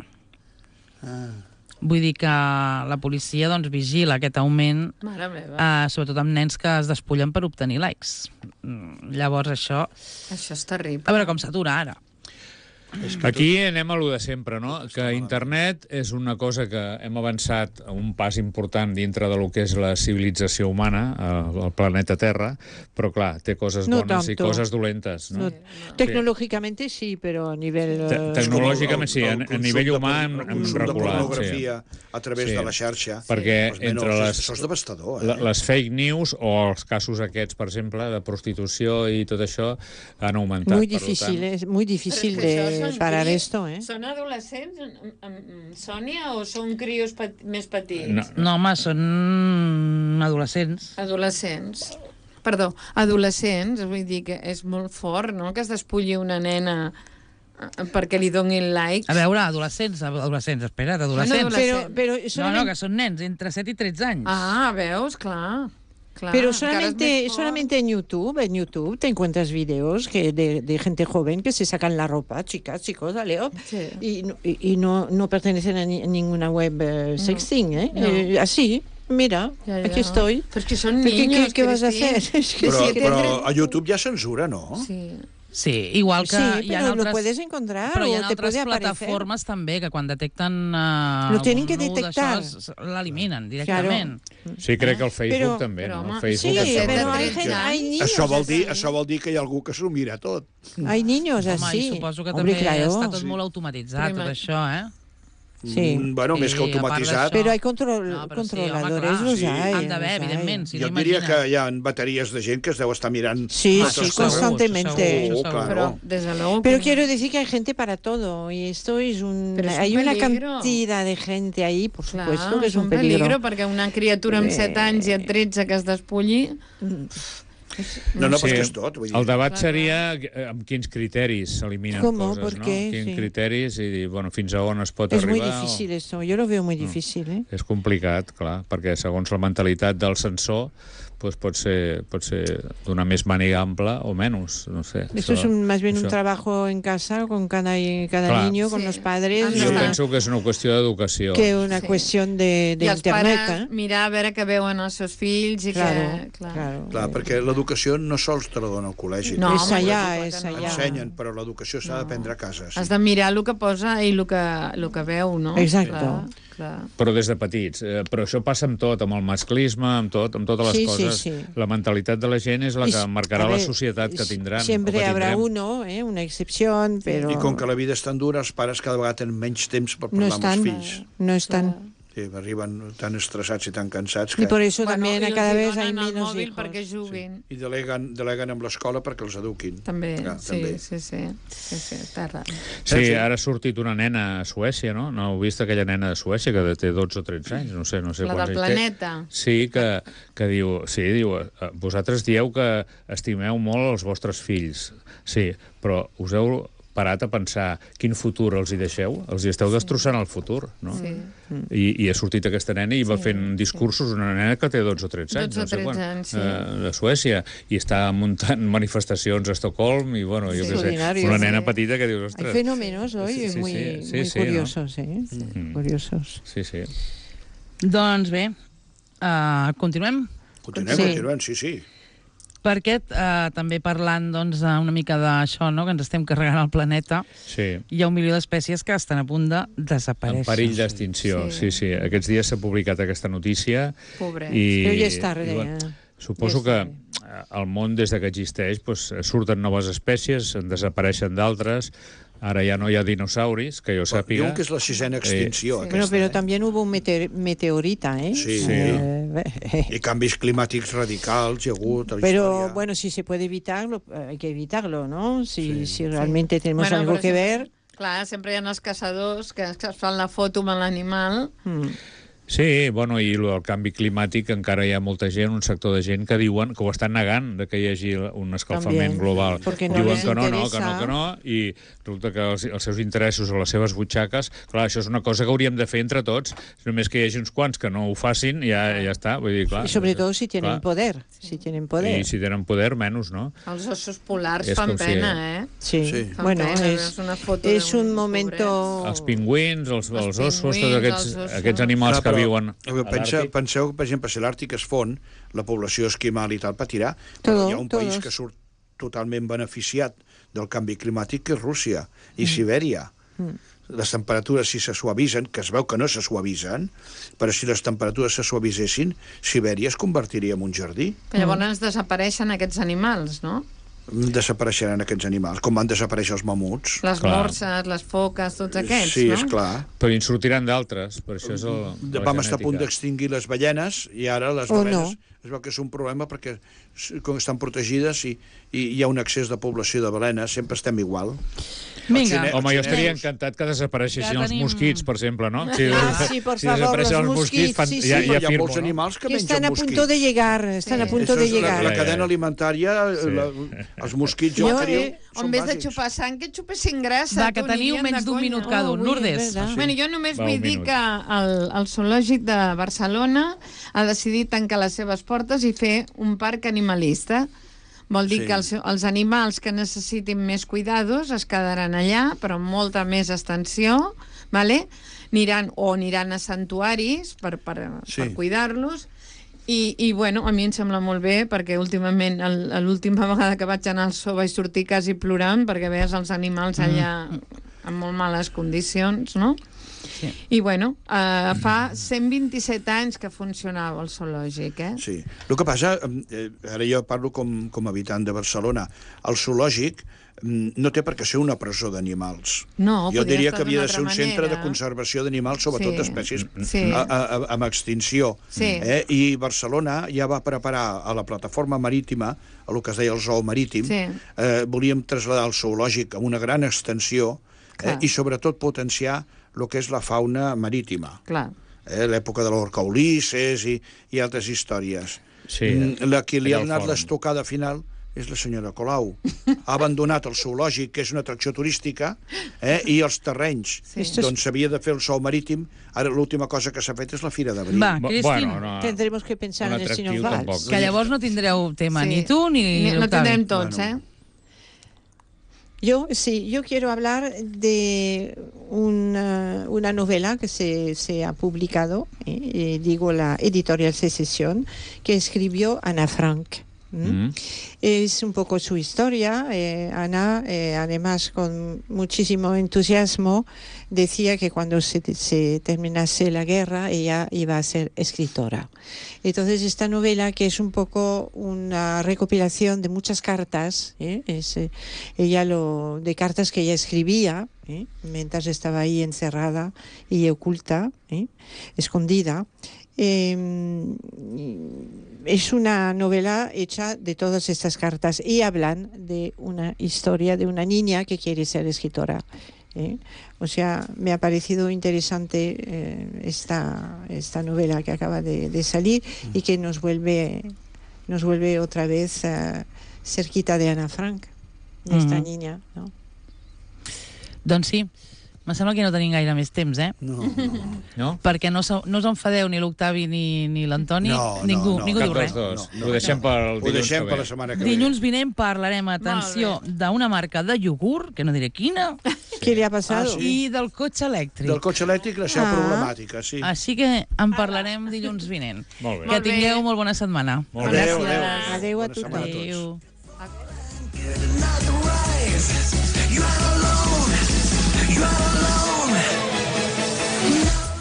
[SPEAKER 2] Vull dir que la policia doncs, vigila aquest augment,
[SPEAKER 6] Mare meva.
[SPEAKER 2] eh, sobretot amb nens que es despullen per obtenir likes. Mm, Llavors, això...
[SPEAKER 6] Això és terrible.
[SPEAKER 2] A veure com s'atura ara.
[SPEAKER 4] Aquí anem a lo de sempre, no? Que internet és una cosa que hem avançat a un pas important dintre de lo que és la civilització humana, al al planeta Terra, però clar, té coses
[SPEAKER 5] No
[SPEAKER 4] bones i
[SPEAKER 5] tanto.
[SPEAKER 4] coses dolentes, no?
[SPEAKER 5] No, tecnológicamente sí, pero a nivel...
[SPEAKER 4] Te-
[SPEAKER 5] eh,
[SPEAKER 4] tecnològicament sí, a,
[SPEAKER 3] El
[SPEAKER 4] a
[SPEAKER 3] consum
[SPEAKER 4] nivell
[SPEAKER 3] de
[SPEAKER 4] humà
[SPEAKER 3] por-
[SPEAKER 4] hem,
[SPEAKER 3] el
[SPEAKER 4] hem
[SPEAKER 3] consum de
[SPEAKER 4] regulat.
[SPEAKER 3] pornografia a través
[SPEAKER 4] Sí.
[SPEAKER 3] de la xarxa.
[SPEAKER 4] Perquè
[SPEAKER 3] Els menors,
[SPEAKER 4] entre les-
[SPEAKER 3] Això és devastador,
[SPEAKER 4] La,
[SPEAKER 3] eh?
[SPEAKER 4] les fake news o els casos aquests, per exemple, de prostitució i tot això, han augmentat.
[SPEAKER 5] Muy
[SPEAKER 4] per
[SPEAKER 5] difícil,
[SPEAKER 4] tant.
[SPEAKER 5] es muy
[SPEAKER 6] Però
[SPEAKER 5] difícil
[SPEAKER 6] és que això
[SPEAKER 5] de
[SPEAKER 6] són
[SPEAKER 5] parar
[SPEAKER 6] crios-
[SPEAKER 5] esto, ¿eh?
[SPEAKER 6] Són adolescents, em- em- Sònia, o són crios pet més petits?
[SPEAKER 4] No,
[SPEAKER 2] No, home, són adolescents.
[SPEAKER 6] Adolescents. Perdó, adolescents, vull dir que és molt fort, no?, que es despulli una nena eh, perquè li donin like.
[SPEAKER 2] A veure, adolescents, adolescents, espera't, adolescents.
[SPEAKER 6] adolescents.
[SPEAKER 5] Pero, pero
[SPEAKER 2] No, no,
[SPEAKER 5] solamente,
[SPEAKER 2] que són nens entre set i tretze anys.
[SPEAKER 6] Ah, veus? Clar. Clar,
[SPEAKER 5] pero
[SPEAKER 6] encara és
[SPEAKER 5] solamente,
[SPEAKER 6] més fort.
[SPEAKER 5] solamente en YouTube, en YouTube te encuentras vídeos que de, de gente joven que se sacan la ropa, chicas, chicos, Leo,
[SPEAKER 6] Sí.
[SPEAKER 5] y, no- y, y no, no pertenecen a, ni- a ninguna web eh, sexting, ¿eh?
[SPEAKER 6] No.
[SPEAKER 5] Eh, así, mira,
[SPEAKER 6] Ja, ja.
[SPEAKER 5] aquí estoy.
[SPEAKER 6] Però és que són
[SPEAKER 5] ¿Qué, qué-
[SPEAKER 6] niños,
[SPEAKER 5] qué vas a
[SPEAKER 6] Cristín.
[SPEAKER 5] hacer? Es que
[SPEAKER 3] Però,
[SPEAKER 5] sí, que
[SPEAKER 3] però
[SPEAKER 5] tendré-
[SPEAKER 3] a YouTube hi ha censura, no?
[SPEAKER 6] Sí.
[SPEAKER 2] Sí, igual que
[SPEAKER 5] Sí,
[SPEAKER 2] hi ha
[SPEAKER 5] pero
[SPEAKER 2] altres...
[SPEAKER 5] lo puedes encontrar
[SPEAKER 2] Però hi
[SPEAKER 5] o
[SPEAKER 2] ha
[SPEAKER 5] te
[SPEAKER 2] altres
[SPEAKER 5] puede aparecer.
[SPEAKER 2] plataformes també que quan detecten uh,
[SPEAKER 5] Lo tienen que
[SPEAKER 2] algun nu
[SPEAKER 5] detectar.
[SPEAKER 2] d'això, s- l'eliminen directament.
[SPEAKER 4] Sí, crec que el Facebook
[SPEAKER 5] Però-
[SPEAKER 4] també,
[SPEAKER 6] però,
[SPEAKER 4] no?
[SPEAKER 6] home,
[SPEAKER 4] El Facebook
[SPEAKER 5] Sí,
[SPEAKER 6] de set a
[SPEAKER 5] pero hay,
[SPEAKER 6] tretze
[SPEAKER 5] gente, hay
[SPEAKER 6] anys.
[SPEAKER 5] niños
[SPEAKER 3] Això vol, dir,
[SPEAKER 5] así.
[SPEAKER 3] això vol dir que hi ha algú que s'ho mira tot.
[SPEAKER 5] Hay niños
[SPEAKER 2] Home,
[SPEAKER 5] así.
[SPEAKER 2] i suposo que
[SPEAKER 5] Hombre,
[SPEAKER 2] també
[SPEAKER 5] claro.
[SPEAKER 2] està tot
[SPEAKER 3] Sí.
[SPEAKER 2] molt automatitzat,
[SPEAKER 6] Però
[SPEAKER 2] tot això, eh?
[SPEAKER 5] Sí.
[SPEAKER 3] Mm, bueno,
[SPEAKER 2] Sí,
[SPEAKER 3] més que
[SPEAKER 2] a part
[SPEAKER 3] automatitzat.
[SPEAKER 2] d'això-
[SPEAKER 5] Pero hay control,
[SPEAKER 2] No, però sí, home,
[SPEAKER 5] controladores,
[SPEAKER 2] clar.
[SPEAKER 5] los
[SPEAKER 3] Sí.
[SPEAKER 5] hay.
[SPEAKER 2] Han d'haver,
[SPEAKER 5] los hay.
[SPEAKER 2] evidentment, si
[SPEAKER 3] Jo
[SPEAKER 2] no
[SPEAKER 3] diria
[SPEAKER 2] imagina.
[SPEAKER 3] que hi ha bateries de gent que es deu estar mirant...
[SPEAKER 5] Sí,
[SPEAKER 2] Ah,
[SPEAKER 5] sí,
[SPEAKER 2] això segur,
[SPEAKER 5] constantemente.
[SPEAKER 2] això segur, això
[SPEAKER 3] Claro.
[SPEAKER 6] Pero, desde luego...
[SPEAKER 5] Pero
[SPEAKER 6] que-
[SPEAKER 5] quiero decir que hay gente para todo y esto es un...
[SPEAKER 6] Pero es un
[SPEAKER 5] hay una
[SPEAKER 6] peligro.
[SPEAKER 5] cantidad de gente ahí, por
[SPEAKER 6] Clar,
[SPEAKER 5] supuesto, que es un peligro.
[SPEAKER 6] perquè una criatura amb
[SPEAKER 5] Eh.
[SPEAKER 6] set anys i a tretze que es despulli...
[SPEAKER 3] No, no,
[SPEAKER 4] Sí,
[SPEAKER 3] perquè és tot. Vull dir.
[SPEAKER 4] el debat seria eh, amb quins criteris s'eliminen
[SPEAKER 5] Com,
[SPEAKER 4] coses,
[SPEAKER 5] per
[SPEAKER 4] no?
[SPEAKER 5] què?
[SPEAKER 4] Quins
[SPEAKER 5] Sí.
[SPEAKER 4] criteris i dir, bueno, fins a on es pot
[SPEAKER 5] Es muy
[SPEAKER 4] arribar.
[SPEAKER 5] difícil esto, yo lo veo muy difícil, ¿eh?
[SPEAKER 4] És complicat, clar, perquè segons la mentalitat del censor doncs pot ser, pot ser d'una més màniga ampla o menys, no sé.
[SPEAKER 5] Esto es un, más bien un
[SPEAKER 4] això.
[SPEAKER 5] trabajo en casa con cada, cada
[SPEAKER 4] Clar.
[SPEAKER 5] niño, con
[SPEAKER 6] Sí.
[SPEAKER 5] los padres,
[SPEAKER 6] Ah,
[SPEAKER 4] Jo
[SPEAKER 6] no.
[SPEAKER 4] penso que és una qüestió d'educació.
[SPEAKER 5] que una
[SPEAKER 6] Sí.
[SPEAKER 5] cuestión de, de
[SPEAKER 6] I els
[SPEAKER 5] internet,
[SPEAKER 6] pares
[SPEAKER 5] ¿eh?
[SPEAKER 6] mirar a veure què veuen els seus fills i
[SPEAKER 5] Claro,
[SPEAKER 6] que... Clar.
[SPEAKER 5] claro.
[SPEAKER 3] Clar, perquè l'educació no sols te la dona al col·legi.
[SPEAKER 6] No,
[SPEAKER 5] Es
[SPEAKER 6] home,
[SPEAKER 5] allá,
[SPEAKER 6] clar que
[SPEAKER 5] es
[SPEAKER 6] no.
[SPEAKER 5] allá.
[SPEAKER 3] Ensenyen, però l'educació s'ha d'aprendre a casa. Sí.
[SPEAKER 6] Has de mirar el que posa i el que, el que veu, no?
[SPEAKER 5] Exacto.
[SPEAKER 6] Clar, clar.
[SPEAKER 4] Però des de petits. Eh, però això passa amb tot, amb el masclisme, amb tot, amb totes les
[SPEAKER 5] Sí, sí,
[SPEAKER 4] coses.
[SPEAKER 5] sí.
[SPEAKER 4] La mentalitat de la gent és la
[SPEAKER 5] Y
[SPEAKER 4] que
[SPEAKER 5] s-
[SPEAKER 4] marcarà
[SPEAKER 5] a
[SPEAKER 4] la
[SPEAKER 5] ver,
[SPEAKER 4] societat que tindran. o
[SPEAKER 5] Siempre
[SPEAKER 4] que
[SPEAKER 5] habrá
[SPEAKER 4] tindrem.
[SPEAKER 5] uno, ¿eh? Una excepción, pero
[SPEAKER 3] I com que la vida és tan dura, els pares cada vegada tenen menys temps per
[SPEAKER 5] no
[SPEAKER 3] parlar amb els
[SPEAKER 5] están,
[SPEAKER 3] fills.
[SPEAKER 5] no están.
[SPEAKER 3] Sí, arriben tan estressats i tan cansats
[SPEAKER 5] Y
[SPEAKER 3] que...
[SPEAKER 5] por eso
[SPEAKER 6] Bueno,
[SPEAKER 5] también
[SPEAKER 6] i
[SPEAKER 5] cada
[SPEAKER 6] els hi
[SPEAKER 5] vez hay
[SPEAKER 6] donen el
[SPEAKER 5] menos
[SPEAKER 6] mòbil
[SPEAKER 5] hijos.
[SPEAKER 6] perquè juguin.
[SPEAKER 3] I deleguen, deleguen amb l'escola perquè els eduquin.
[SPEAKER 6] També,
[SPEAKER 3] Clar,
[SPEAKER 6] sí,
[SPEAKER 3] també.
[SPEAKER 6] sí, sí, sí, sí, està raro.
[SPEAKER 4] Sí, ara ha sortit una nena a Suècia, no? No heu vist aquella nena de Suècia que té dotze o tretze anys? No sé, no sé
[SPEAKER 6] La
[SPEAKER 4] quants
[SPEAKER 6] del
[SPEAKER 4] anys té.
[SPEAKER 6] planeta.
[SPEAKER 4] Sí, que, que diu... Sí, diu, eh, vosaltres dieu que estimeu molt els vostres fills. Sí, però us heu parat a pensar quin futur els hi deixeu? Els hi esteu destrossant el futur, no?
[SPEAKER 6] Sí.
[SPEAKER 4] I, i ha sortit aquesta nena i va fent discursos, una nena que té dotze o tretze anys,
[SPEAKER 6] dotze o
[SPEAKER 4] no sé
[SPEAKER 6] tretze
[SPEAKER 4] quan,
[SPEAKER 6] anys, sí.
[SPEAKER 4] eh, de Suècia, i està muntant manifestacions a Estocolm, i bueno, jo
[SPEAKER 5] Sí.
[SPEAKER 4] què sé,
[SPEAKER 5] Extraordinario,
[SPEAKER 4] una nena
[SPEAKER 6] sí.
[SPEAKER 4] petita que dius,
[SPEAKER 5] Hay
[SPEAKER 4] ostres...
[SPEAKER 5] fenómenos hoy
[SPEAKER 4] Sí, sí,
[SPEAKER 5] muy,
[SPEAKER 4] sí, sí,
[SPEAKER 5] muy
[SPEAKER 4] sí, ¿no?
[SPEAKER 5] curiosos, ¿eh?
[SPEAKER 4] Mm.
[SPEAKER 5] Curiosos.
[SPEAKER 4] Sí, sí.
[SPEAKER 2] Doncs bé, uh, continuem?
[SPEAKER 3] Continuem,
[SPEAKER 5] Sí.
[SPEAKER 3] continuem, sí, sí.
[SPEAKER 2] Perquè uh, també parlant doncs, una mica d'això, no? Que ens estem carregant el planeta,
[SPEAKER 4] Sí.
[SPEAKER 2] hi ha un milió d'espècies que estan a punt de
[SPEAKER 4] En
[SPEAKER 2] desaparèixer.
[SPEAKER 4] perill d'extinció, sí. sí, sí. Aquests dies s'ha publicat aquesta notícia
[SPEAKER 6] Pobrets.
[SPEAKER 4] i...
[SPEAKER 5] Però ja és tard,
[SPEAKER 4] i, bueno,
[SPEAKER 5] eh?
[SPEAKER 4] suposo
[SPEAKER 5] Ja
[SPEAKER 4] que
[SPEAKER 5] és
[SPEAKER 4] eh, el món, des de que existeix, doncs, surten noves espècies, en desapareixen d'altres. Ara ja no hi ha dinosauris, que jo sàpiga.
[SPEAKER 3] Diuen que és la sisena extinció,
[SPEAKER 6] Sí.
[SPEAKER 3] aquesta.
[SPEAKER 5] Bueno, pero
[SPEAKER 3] eh?
[SPEAKER 5] también hubo un mete- meteorita, ¿eh?
[SPEAKER 3] Sí.
[SPEAKER 4] Sí.
[SPEAKER 5] Eh,
[SPEAKER 3] I canvis climàtics radicals hi ha hagut a la
[SPEAKER 5] Pero
[SPEAKER 3] història.
[SPEAKER 5] bueno, si se puede evitarlo, eh, hay que evitarlo, ¿no? Si,
[SPEAKER 3] Sí.
[SPEAKER 5] si realmente tenemos
[SPEAKER 6] Bueno,
[SPEAKER 5] algo
[SPEAKER 6] per
[SPEAKER 5] que
[SPEAKER 6] exemple,
[SPEAKER 5] ver.
[SPEAKER 6] Clar, sempre hi ha els caçadors que es fan la foto amb l'animal.
[SPEAKER 5] mm,
[SPEAKER 4] Sí, bueno, i lo del canvi climàtic encara hi ha molta gent, un sector de gent que diuen que ho estan negant, de que hi hagi un escalfament
[SPEAKER 5] També,
[SPEAKER 4] global.
[SPEAKER 5] perquè no
[SPEAKER 4] diuen
[SPEAKER 5] les
[SPEAKER 4] que no, no, que no,
[SPEAKER 5] interessa.
[SPEAKER 4] que no, i resulta que els, els seus interessos o les seves butxaques, clar, això és una cosa que hauríem de fer entre tots, només que hi hagi uns quants que no ho facin, ja, ja està, vull dir, clar.
[SPEAKER 5] y sobre todo si tienen
[SPEAKER 4] clar.
[SPEAKER 5] poder, si tienen poder.
[SPEAKER 4] I si tenen poder, menys, no?
[SPEAKER 6] Els ossos polars
[SPEAKER 4] És
[SPEAKER 6] fan
[SPEAKER 4] com si-
[SPEAKER 6] pena, eh?
[SPEAKER 5] Sí,
[SPEAKER 3] Sí.
[SPEAKER 6] Fan
[SPEAKER 5] bueno,
[SPEAKER 6] pena,
[SPEAKER 5] es,
[SPEAKER 6] veus una foto
[SPEAKER 5] es
[SPEAKER 6] d'un
[SPEAKER 5] un momento...
[SPEAKER 4] Els pingüins, els, els,
[SPEAKER 6] Els
[SPEAKER 4] ossos, tots
[SPEAKER 6] pingüins,
[SPEAKER 4] aquests,
[SPEAKER 6] els ossos.
[SPEAKER 4] aquests animals
[SPEAKER 3] Clar,
[SPEAKER 4] que
[SPEAKER 3] però,
[SPEAKER 4] viuen
[SPEAKER 3] eh,
[SPEAKER 4] a
[SPEAKER 3] Pensa,
[SPEAKER 4] l'Àrtic.
[SPEAKER 3] penseu que, per exemple, si l'Àrtic es fon, la població esquimal i tal patirà,
[SPEAKER 5] Todo,
[SPEAKER 3] però hi ha un país
[SPEAKER 5] todos.
[SPEAKER 3] que surt totalment beneficiat del canvi climàtic, que és Rússia i Sibèria. Les temperatures, si se suavitzen, que es veu que no se suavitzen, però si les temperatures se suavitzessin, Sibèria es convertiria en un jardí.
[SPEAKER 6] Que llavors desapareixen aquests animals, no?
[SPEAKER 3] Desapareixeran aquests animals, com van desaparèixer els mamuts.
[SPEAKER 6] Les
[SPEAKER 4] Clar.
[SPEAKER 6] morses, les foques, tots aquests,
[SPEAKER 3] sí,
[SPEAKER 6] no?
[SPEAKER 3] és clar.
[SPEAKER 4] Però en sortiran d'altres, per això és el, la
[SPEAKER 3] Vam estar a punt
[SPEAKER 4] genètica.
[SPEAKER 3] d'extingir les ballenes i ara les
[SPEAKER 5] O
[SPEAKER 3] balenes
[SPEAKER 5] no.
[SPEAKER 3] es veu que és un problema perquè s- com estan protegides i, i hi ha un excés de població de balenes, sempre estem igual.
[SPEAKER 2] Vinga,
[SPEAKER 3] Els
[SPEAKER 4] Home, jo
[SPEAKER 3] xinesos-
[SPEAKER 4] estaria encantat que desapareixessin
[SPEAKER 2] Ja
[SPEAKER 4] els
[SPEAKER 2] tenim-
[SPEAKER 4] mosquits, per exemple, no? Si,
[SPEAKER 5] Ah, sí, por
[SPEAKER 4] si
[SPEAKER 5] favor,
[SPEAKER 4] desapareixen
[SPEAKER 5] los mosquits,
[SPEAKER 4] fan,
[SPEAKER 5] sí,
[SPEAKER 4] ja,
[SPEAKER 5] sí.
[SPEAKER 3] Hi
[SPEAKER 4] ja
[SPEAKER 3] ha
[SPEAKER 4] firmo,
[SPEAKER 3] molts
[SPEAKER 4] no?
[SPEAKER 3] animals que
[SPEAKER 5] Que
[SPEAKER 3] mengen
[SPEAKER 5] están a
[SPEAKER 3] mosquits.
[SPEAKER 5] punto de llegar, están
[SPEAKER 6] Sí.
[SPEAKER 5] a punto
[SPEAKER 3] Això
[SPEAKER 5] de
[SPEAKER 3] és la,
[SPEAKER 5] llegar.
[SPEAKER 3] la
[SPEAKER 4] Ja, ja,
[SPEAKER 3] cadena
[SPEAKER 4] ja.
[SPEAKER 3] alimentària,
[SPEAKER 4] Sí.
[SPEAKER 3] la, els mosquits,
[SPEAKER 5] Jo,
[SPEAKER 3] jo, que diu,
[SPEAKER 5] eh,
[SPEAKER 3] són
[SPEAKER 6] En vez de
[SPEAKER 3] bàsics.
[SPEAKER 6] xupar sang, que xupessin grassa.
[SPEAKER 2] Va, que
[SPEAKER 6] tu,
[SPEAKER 2] teniu
[SPEAKER 6] anirien
[SPEAKER 2] menys
[SPEAKER 6] de
[SPEAKER 2] d'un
[SPEAKER 6] conya.
[SPEAKER 2] minut cada un.
[SPEAKER 5] Oh,
[SPEAKER 2] Lourdes.
[SPEAKER 5] és verdad.
[SPEAKER 3] Sí.
[SPEAKER 6] Bueno, jo només
[SPEAKER 4] Va, un
[SPEAKER 6] vull dir
[SPEAKER 4] minut.
[SPEAKER 6] que el, el zoològic de Barcelona ha decidit tancar les seves portes i fer un parc animalista. Vol dir
[SPEAKER 3] Sí.
[SPEAKER 6] que els, els animals que necessitin més cuidados es quedaran allà, però amb molta més extensió, vale? Aniran, o aniran a santuaris per, per,
[SPEAKER 3] Sí.
[SPEAKER 6] per cuidar-los. I, I, bueno, a mi em sembla molt bé, perquè últimament, el- l'última vegada que vaig anar al zoo vaig sortir quasi plorant, perquè veies els animals allà en molt males condicions, no?
[SPEAKER 2] Sí.
[SPEAKER 6] I, bueno, eh, fa cent vint-i-set anys que funcionava el zoològic, eh?
[SPEAKER 3] Sí. El que passa, eh, ara jo parlo com, com a habitant de Barcelona, el zoològic mm, no té per què ser una presó d'animals.
[SPEAKER 6] No,
[SPEAKER 3] Jo
[SPEAKER 6] podria
[SPEAKER 3] diria
[SPEAKER 6] estar
[SPEAKER 3] que havia
[SPEAKER 6] d'una
[SPEAKER 3] de ser un
[SPEAKER 6] altra
[SPEAKER 3] centre de
[SPEAKER 6] manera.
[SPEAKER 3] conservació d'animals, sobretot
[SPEAKER 6] Sí.
[SPEAKER 3] espècies
[SPEAKER 6] Sí.
[SPEAKER 3] a, a, a, amb extinció.
[SPEAKER 6] Sí.
[SPEAKER 3] Eh? I Barcelona ja va preparar a la plataforma marítima, a el que es deia el zoo marítim,
[SPEAKER 6] Sí.
[SPEAKER 3] eh, volíem traslladar el zoològic a una gran extensió eh,
[SPEAKER 6] Clar.
[SPEAKER 3] i sobretot potenciar el que és la fauna marítima.
[SPEAKER 6] Clar.
[SPEAKER 3] Eh, l'època de l'orca Ulisses i, i altres històries.
[SPEAKER 4] Sí,
[SPEAKER 3] Mm, la que li ha
[SPEAKER 4] allà al
[SPEAKER 3] donat
[SPEAKER 4] fòrum.
[SPEAKER 3] l'estocada final és la senyora Colau. Ha abandonat el zoològic, que és una atracció turística, eh, i els terrenys.
[SPEAKER 6] Sí.
[SPEAKER 3] Doncs s'havia de fer el zoo marítim. Ara l'última cosa que s'ha fet és la Fira d'Abril.
[SPEAKER 2] Va,
[SPEAKER 4] Bo-
[SPEAKER 2] Cristina,
[SPEAKER 4] no,
[SPEAKER 5] Tendremos que pensar
[SPEAKER 4] un
[SPEAKER 5] en el
[SPEAKER 4] atractiu
[SPEAKER 5] señor
[SPEAKER 4] tampoc.
[SPEAKER 5] Valls.
[SPEAKER 2] que llavors no tindreu tema,
[SPEAKER 6] Sí.
[SPEAKER 2] ni tu ni
[SPEAKER 6] No
[SPEAKER 2] l'Octavi.
[SPEAKER 6] tindrem tots,
[SPEAKER 3] Bueno.
[SPEAKER 6] eh?
[SPEAKER 5] Yo sí, yo quiero hablar de una, una novela que se, se ha publicado, eh, eh, digo la editorial Secesión, que escribió Ana Frank. ¿Mm?
[SPEAKER 4] Mm.
[SPEAKER 5] Es un poco su historia. Eh, Ana, eh, además, con muchísimo entusiasmo, decía que cuando se, se terminase la guerra, ella iba a ser escritora. Entonces, esta novela, que es un poco una recopilación de muchas cartas, ¿eh? es, eh, ella lo, de cartas que ella escribía, ¿eh? Mientras estaba ahí encerrada y oculta, ¿eh? Escondida. Eh, es una novela hecha de todas estas cartas y hablan de una historia de una niña que quiere ser escritora. ¿eh? O sea, me ha parecido interesante eh, esta, esta novela que acaba de, de salir y que nos vuelve, nos vuelve otra vez uh, cerquita de Ana Frank, de esta
[SPEAKER 2] Mm-hmm.
[SPEAKER 5] niña, no?
[SPEAKER 2] Doncs sí, me sembla que no tenim gaire més temps, eh?
[SPEAKER 3] No, no.
[SPEAKER 4] No?
[SPEAKER 2] Perquè no, se- no us enfadeu ni l'Octavi ni, ni l'Antoni.
[SPEAKER 3] No, no,
[SPEAKER 2] ningú,
[SPEAKER 3] no.
[SPEAKER 2] ningú
[SPEAKER 4] Cap
[SPEAKER 2] diu
[SPEAKER 4] dels
[SPEAKER 2] res.
[SPEAKER 4] dos.
[SPEAKER 3] No, no.
[SPEAKER 4] Ho deixem per el
[SPEAKER 3] Ho
[SPEAKER 4] dilluns
[SPEAKER 3] deixem
[SPEAKER 4] que
[SPEAKER 3] per
[SPEAKER 4] ve.
[SPEAKER 3] la setmana que ve.
[SPEAKER 2] Dilluns vinent parlarem, atenció, d'una marca de iogurt, que no diré quina,
[SPEAKER 5] ¿Qué le ha pasado?
[SPEAKER 3] Ah, sí.
[SPEAKER 2] i del cotxe elèctric.
[SPEAKER 3] Del cotxe elèctric, la seva
[SPEAKER 5] Ah.
[SPEAKER 3] problemàtica, sí.
[SPEAKER 2] Així que en parlarem dilluns vinent.
[SPEAKER 4] Molt bé.
[SPEAKER 2] Que
[SPEAKER 6] Molt bé.
[SPEAKER 2] tingueu molt bona setmana.
[SPEAKER 4] Molt bé.
[SPEAKER 3] Adéu,
[SPEAKER 2] Gràcies.
[SPEAKER 3] adéu.
[SPEAKER 5] Adéu a
[SPEAKER 3] Bona
[SPEAKER 5] tothom.
[SPEAKER 3] setmana a tots.
[SPEAKER 2] Adéu.
[SPEAKER 7] Get another rise. You are